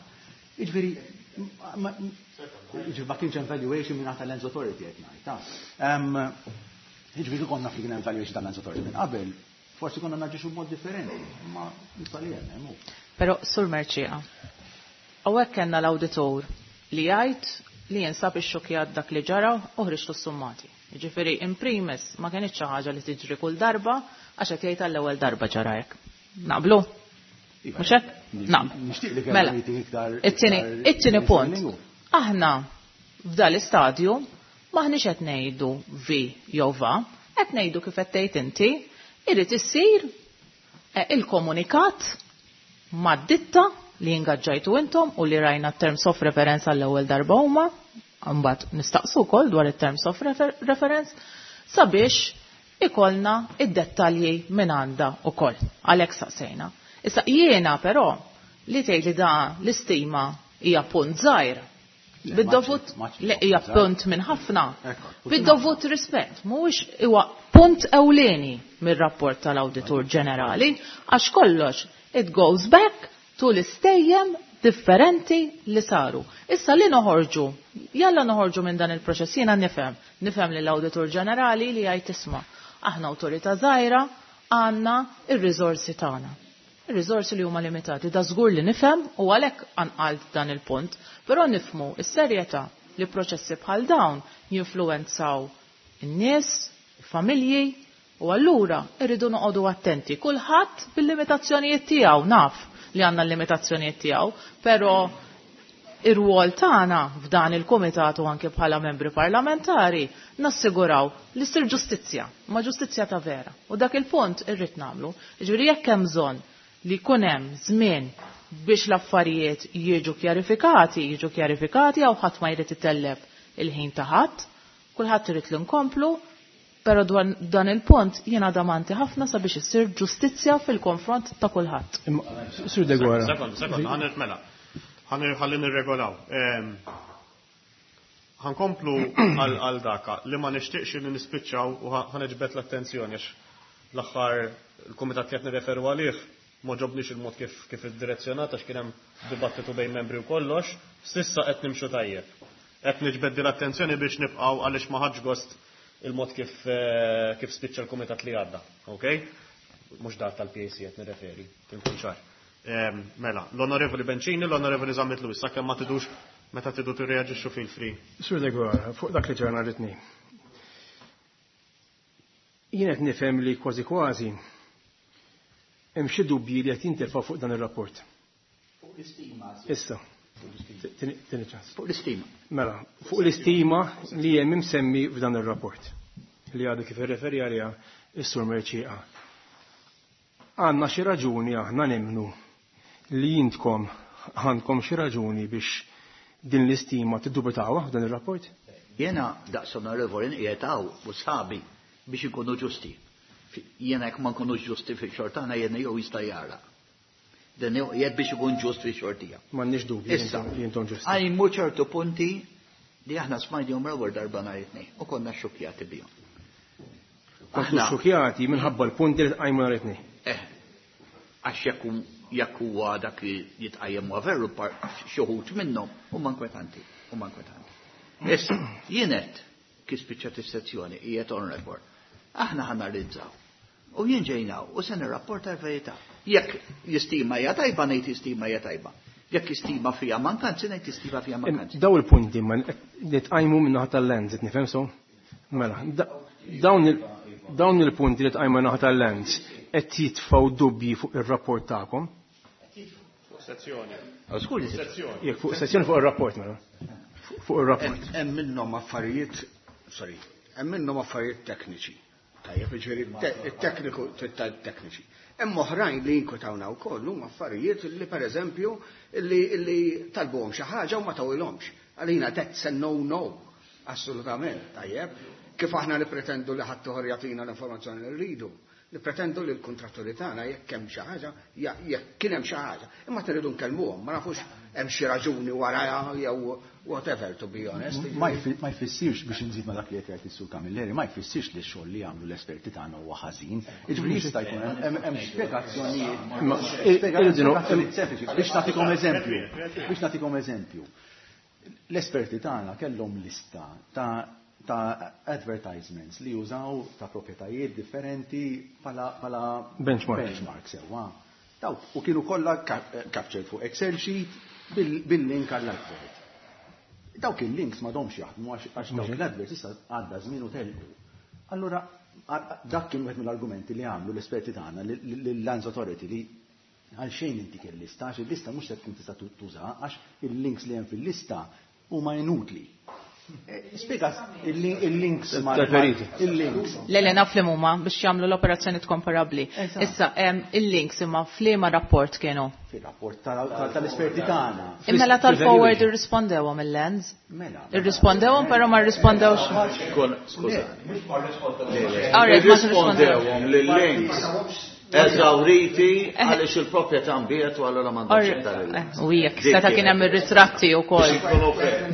Jiġifieri ma kienx hemm valuation minn tal-Lands Authority qed ngħid. Jiġifieri konna li kien hemm valuation tal-Lands Authority minn qabel, forsi konna naġixxu b'mod differenti, ma nistali hemm. Però Sur Mercieca, hawnhekk kellna l-awditur li jgħid li jinsab ixxukjat dak li ġara u ħriġtu s-summati. Jiġifieri in primis ma kienx xi ħaġa li tiġri kull darba għax qed jgħid għall-ewwel darba ġara hekk. Naqblu? Mhux hekk? Naqblu. Nixtieq li Mela. kellna meeting iktar It-tieni punt. Aħna f'dal istadju maħniex qed ngħidu vi jew va, qed ngħidu kif qed tgħid inti, irid issir il-komunikat mad-ditta li ingaġġajtu intom u li rajna terms of reference għall-ewwel darba huma, mbagħad nistaqsu wkoll dwar it-terms of reference sabiex ikollna id-dettalji minn għandha wkoll. Għalhekk saqsejna. Issa jiena però li tgħid li da l-istima hija punt żgħir. Bid-dovut li hija punt minn ħafna. Bid-dovut rispett, mhuwiex huwa punt ewlieni mir-rapport tal-Awditur Ġenerali għax kollox it goes back to l-istejjem differenti li saru. Issa li noħorġu, jalla noħorġu minn dan il-proċess, jiena nifhem li l-Awditur Ġenerali li jgħid isma' aħna awtorità żgħira għandna ir-riżorsi tagħna. Ir-riżorsi li huma limitati, da żgur li nifhem u għalhekk anqalt dan il-punt, però nifhmu s-serjetà li proċessi bħal dawn jinfluwenzaw in-nies, il-familji, u allura irridu noqogħdu attenti. Kulħadd bil-limitazzjonijiet tiegħu, naf li għandna l-limitazzjonijiet tiegħu, però ir-rwol tagħna f'dan il-kumitat u anke bħala membri parlamentari nassiguraw li ssir ġustizzja, ma ġustizzja ta' vera. U dak il-punt irrid nagħmlu. Jiġifieri jekk hemm bżonn li jkun hemm żmien biex l-affarijiet jiġu kjarifikati, jiġu kjarifikati għaw ħadd ma jrid itellef il-ħin ta' ħadd, kulħadd irid li nkomplu, però dwar dan il-punt jiena damanti ħafna sabiex issir ġustizzja fil-konfront ta' kulħadd. Sur Deguara. Sekond, sekond, ħa mela. Ħalli nirregolaw. Ħa nkomplu għal daka li ma nixtieqx li nispiċċaw u ħa niġbed l-attenzjoni għax l-aħħar il-kumitat li qed nirreferu għalih ma ġobniex il-mod kif id-direzzjonat għax kien hemm dibattitu bejn membri u kollox, s'issa qed nimxu tajjeb. Qed niġbed l-attenzjoni biex nibqgħu għaliex ma ħadx gost il-mod kif spiċċa l-kumitat li għadda, ok? Mhux dak tal-PAC qed nirreferi, inkun ċar. Mela, l-Onorevoli Bencini, l-Onorevoli Zammit Lewis, sakemm ma tidux meta tidu tirreaġixxu feel free. Sur Deguara, fuq dak li ġara nhar it-Tnejn. Jien qed nifhem li kważi kważi hemm xi dubji li qed jintelfgħu fuq dan ir-rapport. Fuq l-istima. Issa. Tieni ċans. Fuq l-istima. Mela, fuq l-istima li hemm imsemmi f'dan ir-rapport li għadu kif irreferi għaliha is-Sur Mercieca. Għandna xi raġuni aħna nemmnu li jintkom għandkom xi raġuni biex din l-istima tiddubitawha f'dan ir-rapport? Jiena daqs onorevoli qiegħed hawn u sħabi biex ikunu ġusti. Jiena jekk ma nkunux ġusti fix-xogħol tagħna jiena jew jista' jara. Dan qiegħed biex ikun ġust fix-xogħol tiegħu. M'għandniex dubju Issa, li intom ġusti. Qajmu ċertu punti li aħna smajnihom l-ewwel darba nhar it-Tnejn u konna xokjati bihom. Kontu xukjati minħabba l-punti li tqajmu nhar it-Tnejn. Eh, għax jekk huwa dak li jitqajjem huwa veru xi wħud minnhom huma inkwetanti, huma inkwetanti. Issa, jien għedt kif spiċċat is-sezzjoni qiegħed on record. Aħna ħa analizzaw. U jien ġejna u se nirrapporta l-verità. Jekk l-istima hija tajba ngħid l-istima hija tajba. Jekk l-istima fiha mankanzi ngħid l-istima fiha mankanzi. Daw il-punti ma li tqajmu min-naħa tal-Lands, qed nifhem so? Mela, dawn il-punti li tqajmu min-naħa tal-Lands qed jitfgħu dubji fuq ir-rapport tagħkom. Fuq sezzjoni. Sezzjoni. Jekk fuq sezzjoni fuq ir-rapport mela. Fuq ir-rapport. Hemm minnhom affarijiet, sorry, hemm minnhom affarijiet tekniċi. Tajjeb, jiġifieri it-tekniku tekniċi. Hemm oħrajn li jinkwetawna wkoll huma affarijiet li pereżempju li talbuhom xi ħaġa u ma tawilhomx. Għalina that's a no no. Assolutament, tajjeb. Kif aħna nippretendu li ħadd ieħor jagħtina l-informazzjoni li rridu. Nippretendu li l-kontratturi tagħna jekk hemm xi ħaġa, jekk kien hemm xi ħaġa, imma tridu nkellmuhom, ma nafux hemm xi raġuni warajha jew whatever, to be honest. Ma jfissirx biex nżid ma dak li qed jgħid is-Sur Camilleri, ma jfissirx li x-xogħol li jagħmlu l-esperti tagħna huwa ħażin. Jiġifieri jista' jkun hemm spjegazzjonijiet. Spjegazzjonijiet sempliċi. Biex nagħtikom eżempju, biex nagħtikom eżempju. L-esperti tagħna kellhom lista ta' advertisements li jużaw ta' proprjetajiet differenti pala benchmark. Benchmark sewwa. Daw, u kienu kollha captured fuq Excel sheet bil-link għall-advert. Dawk il-links ma domx jaħdmu għax dawk l-adverts issa għadda żmien u telqu. Allura dak kien wieħed mill-argumenti li għamlu l-esperti tagħna lill-Lands Authority li għal xejn inti il-lista, għax il-lista mhux se tkun tista' tuża għax il-links li hemm fil-lista huma inutli. Spiega il-links ma' il-links. Le, le, naf li huma biex jagħmlu l-operazzjoni komparabbli. Issa, il-links imma f'liema rapport kienu? Fil-rapport tal-esperti tagħna. Imma la tal-forward irrispondewhom il-Lands. Mela. Irrispondewhom però ma rrispondewx. Skuża. All right, ma Irrispondewhom lil-links eżawriti għaliex il-proprjetà nbiegħet u allura m'għandhomx iktar il-links. U jekk seta' kien hemm ir-ritratti wkoll.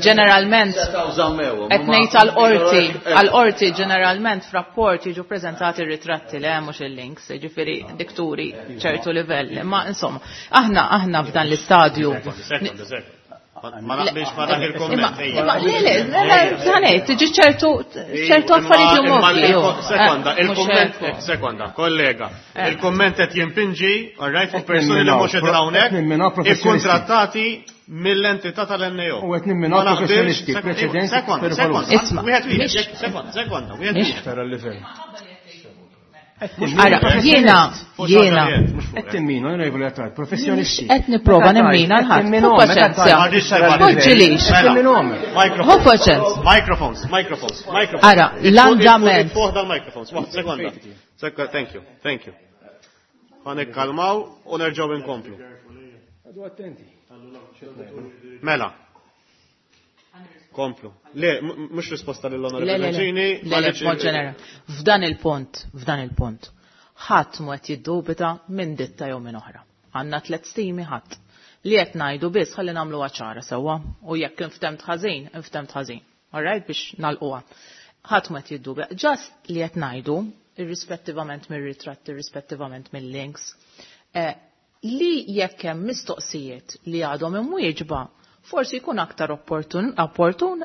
Ġeneralment Setgħu żammewhom, qed ngħid għall-qorti, għall-qorti ġeneralment f'rapport jiġu ppreżentati r-ritratti le mhux il-links, jiġifieri dikturi ċertu livell. Ma insomma, aħna f'dan l-istadju. Sekonda, sekonda. Ma naqbilx ma dak il-komment. Imma le, le, le, ħanej, tiġi ċertu affarijiet li huma ovvji. Sekonda, il-komment, sekonda, kollega. Il-komment qed jimpinġi, all right, fuq persuni li mhux qegħdin hawnhekk, ikkontrattati mill-entità tal-NAO. U qed nimminaw professjonisti, preċedenti. Sekonda, sekonda, wieħed wieħed, sekonda, sekonda, wieħed wieħed. Tara l-livell. Ara, jiena, jiena. Qed timmina, onorevoli Attard, professjonisti. Qed nipprova nimmina l-ħadd. Hu paċenzja. Poġġilix. Hu paċenzja. Microphones, microphones, microphones. Ara, l-andament. Fuq dal-microphones, waħda, sekonda. Sekonda, thank you, thank you. Ħa nikkalmaw u nerġgħu inkomplu. Għadu attenti. Mela. Komplu. Le, mhux risposta lill-Onorevoli Bencini. Le, le, b'mod ġenerali. F'dan il-punt, f'dan il-punt, ħadd mu qed jiddubita minn ditta jew minn oħra. Għandna 3 stimi ħadd. Li qed ngħidu biss ħalli nagħmluha ċara sewwa u jekk inftemt ħażin, inftemt ħażin. All right, biex nagħlquha. Ħadd mu qed jiddubita. Just li qed ngħidu, irrispettivament mir-ritratti, irrispettivament mill-links, li jekk hemm mistoqsijiet li għadhom imwieġba, forsi jkun aktar opportun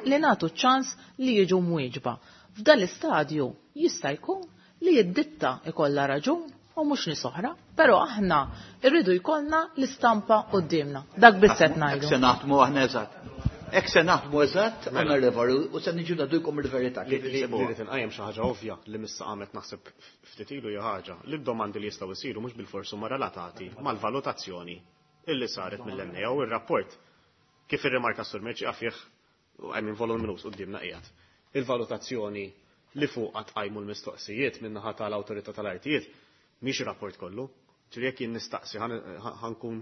li nagħtu ċans li jiġu mwieġba. F'dan l-istadju jista' jkun li d-ditta ikollha raġun u mhux nies oħra, però aħna rridu jkollna l-istampa quddiemna. Dak biss qed ngħidu. Hekk se naħdmu aħna eżatt. Hekk se naħdmu eżatt, onorevoli, u se niġu nagħdukom il-verità. Li rrid inqajjem xi ħaġa ovvja li missa qamet naħseb ftit ilu hija ħaġa li d-domandi li jistgħu jsiru mhux bilforsi huma relatati mal-valutazzjoni illi saret mill-NAO u r-rapport. Kif irrimarka s-Sur Merċi fih, I mean, voluminous quddiemna qiegħed. Il-valutazzjoni li fuq tqajmu l-mistoqsijiet min-naħa tal-awtorità tal-artijiet mhix ir-rapport kollu. Ġifieri jekk jien nistaqsi ħankun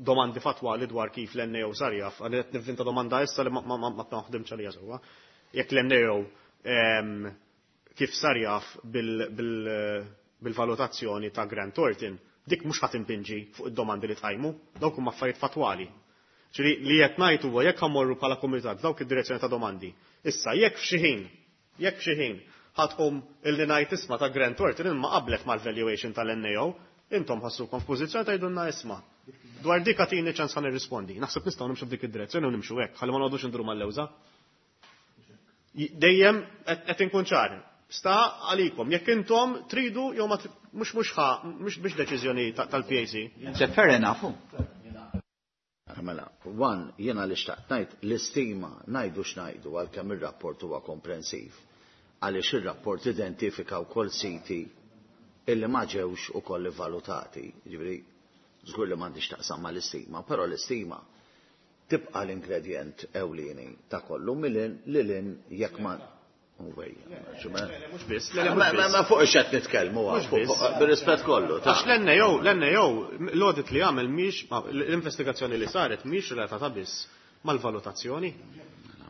domandi fatwali dwar kif l-NAO sar jaf, għandi qed nivvinta domanda issa li ma naħdimx għalija sewwa. Jekk l-NAO kif sar jaf bil-valutazzjoni ta' Grant Thornton, dik mhux ħadd impinġi fuq id-domandi li tqajmu, dawk huma affarijiet fatwali. Ġifieri li qed ngħid huwa jekk ħammorru bħala kumitat dawk id-direzzjoni ta' domandi. Issa jekk f'xi ħin, jekk f'xi ħin Ħa tqum illi ngħid isma' ta' Grant Thornton imma qablet mal-valuation tal-NAO, intom ħassukom f'pożizzjoni tgħidulna isma'. Dwar dik agħtini ċans ħa nirrispondi. Naħseb nistgħu nimxu f'dik id-direzzjoni u nimxu hekk, ħalli ma noqogħdux induru mal-lewża. Dejjem qed inkun ċar. Sta għalikom, jekk intom tridu jew ma mhux mhux ħa mhux biex deċiżjoni tal-PAC. Fair enough. Mela, one, jiena li xtaqt ngħid l-istima ngħidu x'ngħidu għalkemm ir-rapport huwa komprensiv. Għaliex ir-rapport identifika wkoll siti illi ma ġewx ukoll ivvalutati. Ġifieri, żgur li m'għandix taqsam mal-istima, però l-istima tibqa' l-ingredjent ewlieni ta' kollu milin lilin jekk ma Mhux biss, Ma fuq x'qed nitkellmu bir-rispett kollu. Għax l-NAO, l-NAO, l-audit li għamel mhix l-investigazzjoni li saret mhix relatata biss mal-valutazzjoni.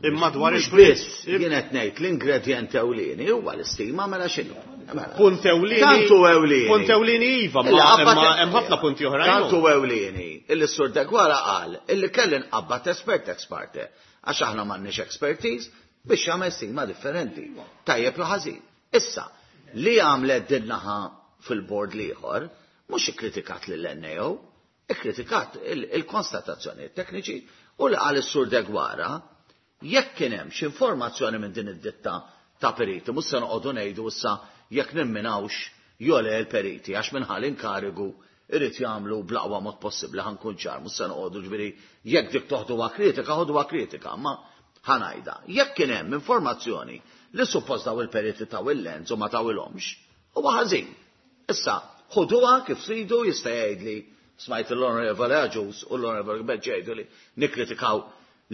Imma dwar il biss, jien qed ngħid l-ingredjent ewlieni huwa l-istima mela x'inhu. Punt ewlieni. Tantu ewlieni. Punt ewlieni iva, ma hemm ħafna punti oħrajn. Tantu ewlieni illi s-sur Degwara qal illi kelli nqabbad espert ex parte għax aħna m'għandniex expertise biex jagħmel stima differenti. Tajjeb jew ħażin. Issa, li għamlet din naħa fil-bord l-ieħor, mhux ikkritikat lill-NAO, ikkritikat il-konstatazzjoni tekniċi u li qal is-sur Degwara jekk kien hemm xi informazzjoni minn din id-ditta ta' periti, mhux se noqogħdu ngħidu issa jekk nimminawx jew le l-periti għax minħal inkarigu irid jagħmlu bl-aqwa mod possibbli ħa nkun ċar, mhux se noqogħdu ġifieri jekk dik toħduha kritika, ħoduha kritika, ma ħa ngħidha. Jekk kien hemm informazzjoni li suppost daw il-periti taw il-lens u ma tawilhomx, huwa ħażin. Issa, ħuduha kif tridu jista' jgħidli smajt l-Onorevole Agius u l-Onorevole Beġ jgħidu li nikkritikaw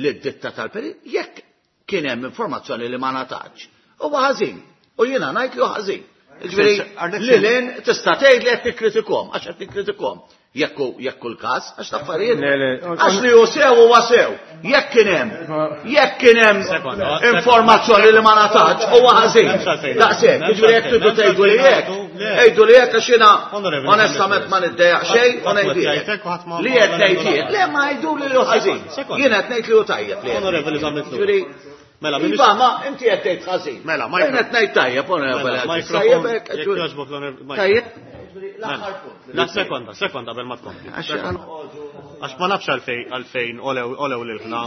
lid-ditta tal-perit, jekk kien hemm informazzjoni li ma ngħatatx, huwa ħażin. U jiena ngħid li hu ħażin. Ġifieri, li lin tista' tgħid li qed nikkritikom, għax qed nikkritikom. Jekk hu l-każ, għax l-affarijiet. Għax li hu sew huwa sew. Jekk kien hemm, jekk kien hemm informazzjoni li ma ngħatatx, huwa ħażin. Daqshekk, jiġifieri jekk tridu tgħidu li hekk, għidu li hekk għax jiena onestament ma niddejjaq xejn u ngħidilek. Li qed ngħid jien, le ma jgħidu li hu ħażin. Jien qed ngħid li hu tajjeb li. Ġifieri, Mela, Iva, ma inti qed tgħid ħażin. Mela, Jien qed ngħid tajjeb, onorevole. Jekk jogħġbok l-onorevole. Tajjeb. La sekonda, sekonda qabel ma tkompli. Għax ma nafx għalfejn olew lil ħna.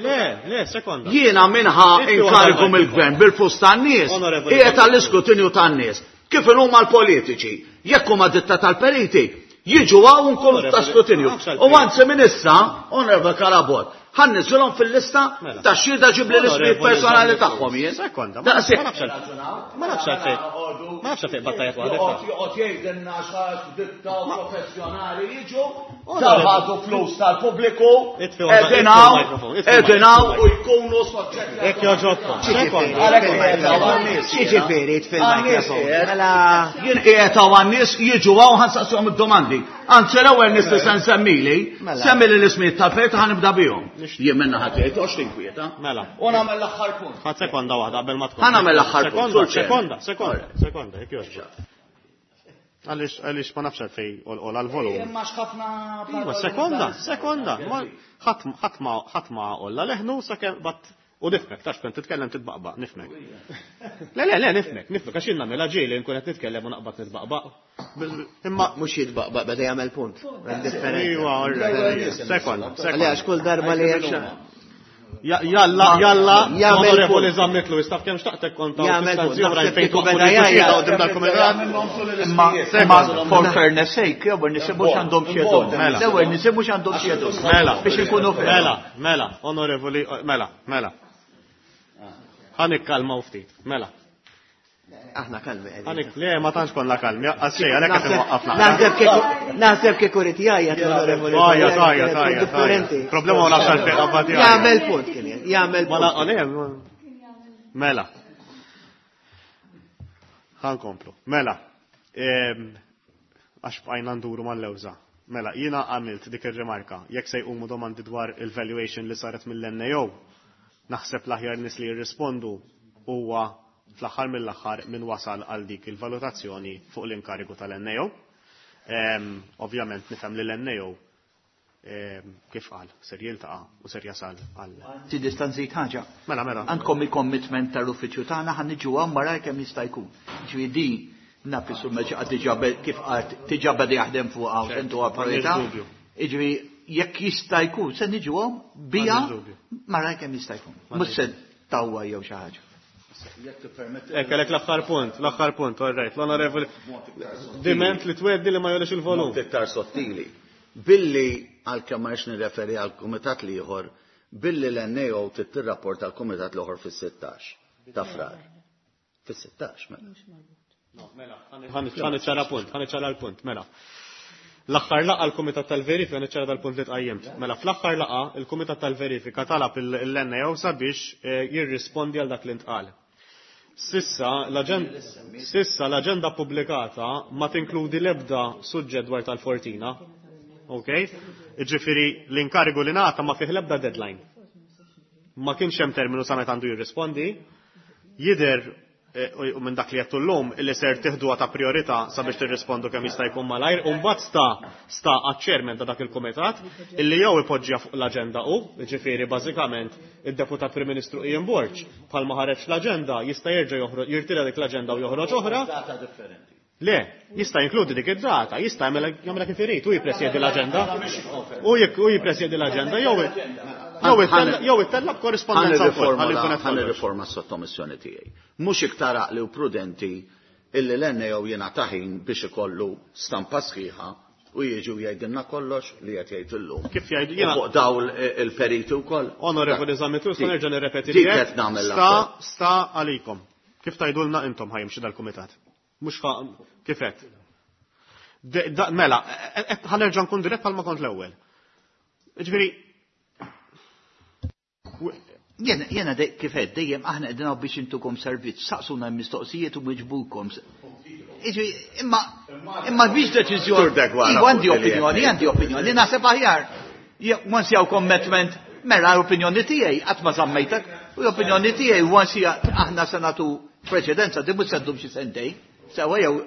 Le, le, sekonda. Jiena minħa inkarigu mill-gvern bil-flus tan-nies, qiegħed għall-iskrutinju tan-nies. Kif huma l-politiċi, jekk huma ditta tal-periti, jiġu hawn nkunu ta' skrutinju. U anzi minn issa, Onorevole Carabott, ħa nniżżilhom fil-lista ta' xhieda ġibli l-ismijiet personali tagħhom jien. Sekonda, ma nafx ma nafx għalfejn. Ma nafx għalfejn battajat waħdek. Joqgħod jgħidilna x'għax ditta professjonali jiġu, ħadu flus tal-pubbliku, qegħdin hawn u jkunu soġġetti. Jekk jogħġobkom. Xiġifieri fil-mikrofon. Mela. Jien qiegħed hawn għan-nies jiġu hawn ħa nsaqsihom id-domandi. Anzi l-ewwel nies li se nsemmili, Mela. semmili l-ismijiet tal-perit ħa nibda bihom. Jien minna ħadd jgħid għax tinkwieta. Mela. U nagħmel l-aħħar punt. Ħadd sekonda waħda qabel ma tkun. Ħa nagħmel l-aħħar punt. Sekonda, sekonda, sekonda, sekonda, jekk jogħġbok. Għaliex għaliex ma nafx għalfejn għol għal-volum. Imma x'ħafna. Iva, sekonda, sekonda. Ħadd ma għolla leħnu sakemm bat u nifhmek, tax kont titkellem titbaqbaq, nifhmek. Le, le, le, nifhmek, nifhmek, għax jien nagħmilha ġieli nkun qed nitkellem u naqbad nitbaqbaq. Imma mhux jitbaqbaq beda jagħmel punt. Iva, all right. Sekonda, sekonda. Għaliex kull darba li hemm Jalla, jalla, onorevoli Zammitlu, jistaf kemm xtaqtek konta. Jagħmel punt. Oħrajn fejn Kieku beda jgħid. qudiem dal-kumitat. Imma for fairness sake, l-ewwel nisimgħu x'għandhom xi Mela. L-ewwel nisimgħu x'għandhom xi Mela. Biex inkunu fair. Mela, mela, onorevoli, mela, mela. Ħa nikkalmaw ftit, mela. Aħna kalmi qegħdin. Ħanik, le, ma tantx konna kalmi, għas xejn, għalhekk qed imwaqqafna. Naħseb kieku rid jgħajjat l-onorevoli. Tajja, tajja, tajja. Differenti. Problema ma nafx għalfejn qabad jgħajjat. Jagħmel punt kien jagħmel Ma punt. le, Mela. Ħa nkomplu. Mela. Għax bqajna nduru mal-lewża. Mela, jiena għamilt dik ir-rimarka. Jekk se jqumu domandi dwar il-valuation li saret mill-NAO, naħseb l-aħjar nies li jirrispondu huwa fl-aħħar mill-aħħar min wasal għal dik il-valutazzjoni fuq l-inkarigu tal-NAO. Ovvjament nifhem li l-NAO Kif qal, ser jiltaqa' u ser jasal għal. Ti distanzit ħaġa. Mela, mela. Għandkom il-commitment tal-uffiċċju tagħna ħa niġu hawn malajr kemm jista' jkun. Ġifieri di naf is-Sur Mercieca diġà kif qalt diġà beda jaħdem fuqha u sentuha priorità. Jiġifieri jekk jista' jkun se niġu hawn biha malajr kemm jista' jkun. Mhux se tawwa jew xi ħaġa. Ekk, għalek l-aħħar punt, l-aħħar punt, all right, l-onorevoli. Diment li tweddi li ma jolix il-volum. Mod iktar sottili. Billi, għalkemm ma rridx nirreferi għal kumitat l-ieħor, billi l-NAO trid tirrapporta għal kumitat l-ieħor fis-16 ta' Frar. Fis-16, mela. No, mela, ħa niċċara punt, ħa niċċara l-punt, mela. L-aħħar laqgħa l-Kumitat tal-Verifika niċċara dal-punt li tqajjimt. Mela fl-aħħar laqgħa il-Kumitat tal-Verifika talab il-NAO sabiex jirrispondi għal dak li ntqal. Sissa l-aġenda pubblikata ma tinkludi l-ebda suġġett dwar tal-Fortina. Ok? Jiġifieri l-inkarigu li ngħata ma fih l-ebda deadline. Ma kienx hemm terminu sa meta għandu jirrispondi. Jidher u minn dak li għedtu llum illi ser tiħduha ta' priorità sabiex tirrispondu kemm jista' jkun malajr, u mbagħad sta sta għaċ-chairman ta' dak il-kumitat illi jew ipoġġiha fuq l-aġenda hu, jiġifieri bażikament id-Deputat Prim Ministru Ian Borg bħalma ħareġ l-aġenda jista' jerġa' joħroġ jirtira dik l-aġenda u joħroġ oħra. Data differenti. Le, jista' jinkludi dik id-data, jista' jagħmilha kif irid, hu jippresjedi l-aġenda. Hu jippresjedi l-aġenda jew jew ittella' b'korrispondenza wkoll, ħalli jkun qed Ħa nirriforma s-sottomissjoni tiegħi. Mhux iktar għaqli u prudenti illi l-NAO jingħata ħin biex ikollu stampa sħiħa u jiġi u jgħidilna kollox li qed jgħid illum. Kif jgħid jiena? U fuq dawl il-periti wkoll. Onorevoli Zammit Lewis, nerġa' nirrepeti Dik qed nagħmel Sta, sta għalikom. Kif tgħidulna intom ħajimxi dal-kumitat? Mhux kif qed. Mela, ħanerġa' nkun dirett bħalma kont l-ewwel. Jiġifieri Jena kif qed dejjem aħna qegħdin hawn biex intukom servizz, saqsuna l-mistoqsijiet u niġbukom. Jiġifieri, imma biex deċiżjoni. Sur Degwara, Iva, għandi fuq li opinjoni, qed għandi opinjoni, naħseb aħjar. Jekk once jew commitment, mela l-opinjoni tiegħi qatt ma żammejtek, u l-opinjoni tiegħi once hija aħna se nagħtu preċedenza, di mhux se ddum xi sentejn. Sewa jew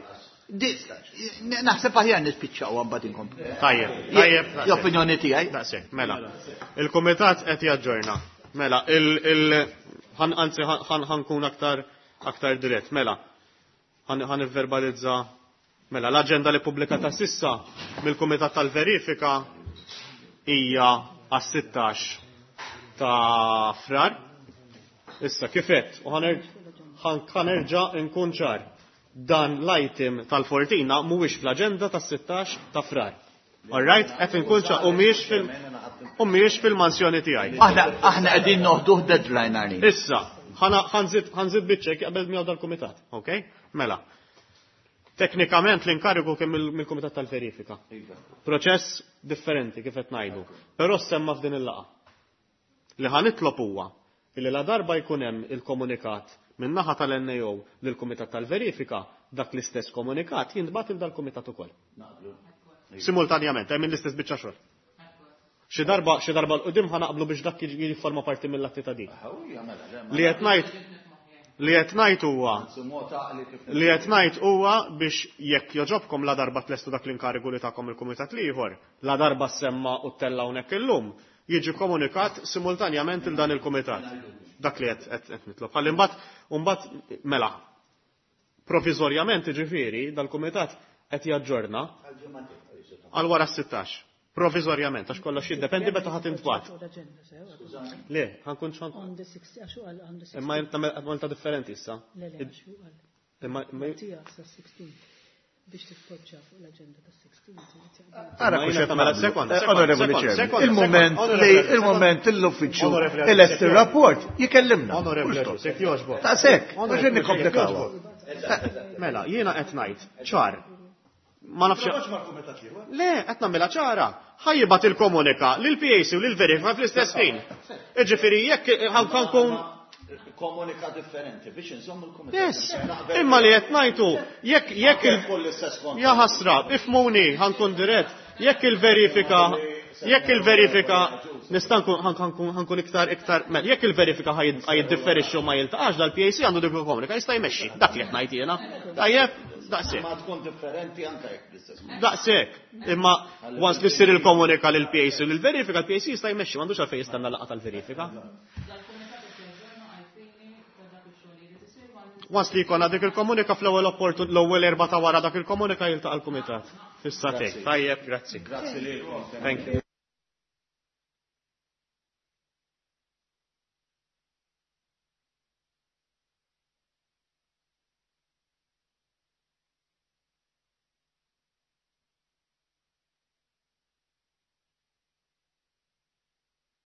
naħseb aħjar nispiċċaw mbagħad inkomplu. Tajjeb, tajjeb, daqshekk. L-opinjoni tiegħi. Daqshekk, mela. Il-kumitat qed jaġġorna. Mela, il, il, ħan, anzi, ħan, ħankun aktar, aktar dirett. Mela, ħan, ħan verbalizza. Mela, l-aġenda li pubblikata sissa mill-Kumitat tal-Verifika hija għas-16 ta' Frar. Issa, kif għedt, u ħanerġa' nkun ċar. Dan l-item tal-Fortina mhuwiex fl-aġenda tas-16 ta' Frar. All right, qed inkun ċar, u mhijiex fil-, u mhijiex fil-mansjoni tiegħi. Aħna qegħdin noħduh deadline għalina. Issa, ħanżid biċċek qabel miegħu dal-kumitat, ok? Mela. Teknikament l-inkarigu kien mill-Kumitat tal-Verifika. Proċess differenti kif qed ngħidu, però semma f'din il-laqgħa. Li ħanitlob huwa illi la darba jkun hemm il-komunikat min-naħa tal-NAO lill-Kumitat tal-Verifika, dak l-istess komunikat jintbagħat il dal-kumitat ukoll. Simultanjament, hemm l-istess biċċa xogħol. Xi darba, xi darba l-qudiem ħanaqblu biex dak jifforma parti mill-atti ta' din. Li qed ngħid, li qed ngħid huwa, li qed ngħid huwa biex jekk joġobkom la darba tlestu dak l-inkarigu li tagħkom il-kumitat l-ieħor, la darba semma u ttella hawnhekk illum, jiġi komunikat simultanjament il dan il-kumitat. Dak li qed nitlob. Ħalli mbagħad, u mbagħad mela, provizorjament jiġifieri dal-kumitat qed jaġġorna għal wara s-16. Provizorjament, għax kollox jiddependi meta ħadd intbagħat. Le, ħankun xan. On the 60, għax huwa on the 60. Imma għamilta differenti issa. Le, le, għax huwa għal. Imma, imma Tija, sa 16. Biex titpoġġa fuq l-aġenda ta' 16, trid taqbel. Ara Ma kux jiena qed tagħmel nagħmlu. sekonda, sekonda, Onorevoli sekonda, Chairman, sekonda, sekonda, il-moment l-uffiċċju Onorevoli elest Chairman. il-rapport jikellimna. Onorevoli Mhux Chairman, jekk jogħġbok. Ta' sekk, Onorevoli mhux Chairman, nikkomplikaw. jekk jogħġbok. Mela, jiena qed ngħid ċar. Ma nafx. Le, qed nagħmilha ċara. Ħajjibat il-komunika lil PAC u lil verifika fl-istess ħin. Jiġifieri jekk ħankun Komunika differenti biex inżommu l-kumitat. Yes, imma li qed ngħidu jekk il- Kull l-istess kont. Ja ħasra, ifmuni, ħankun dirett, jekk il-verifika, jekk il-verifika, nista' nkun, ħankun iktar, iktar, mela, jekk il-verifika ħajiddifferixxu ma jiltaqax dal-PAC għandu dik il-komunika, jista' jmexxi, dak li qed ngħid jiena. Tajjeb? Daqshekk. Ma tkun differenti anke jekk bl-istess. Daqshekk. Imma once li ssir il-komunika lil PAC u l-verifika, l-PAC jista' jmexxi, m'għandux għalfejn jistenna laqgħa tal-verifika. Once li jkollna dik il-komunika fl-ewwel opportun l-ewwel erba' ta' wara dak il-komunika jiltaqa' l-kumitat. Fis-satej. Tajjeb, grazzi. Grazzi lilkom. Thank you.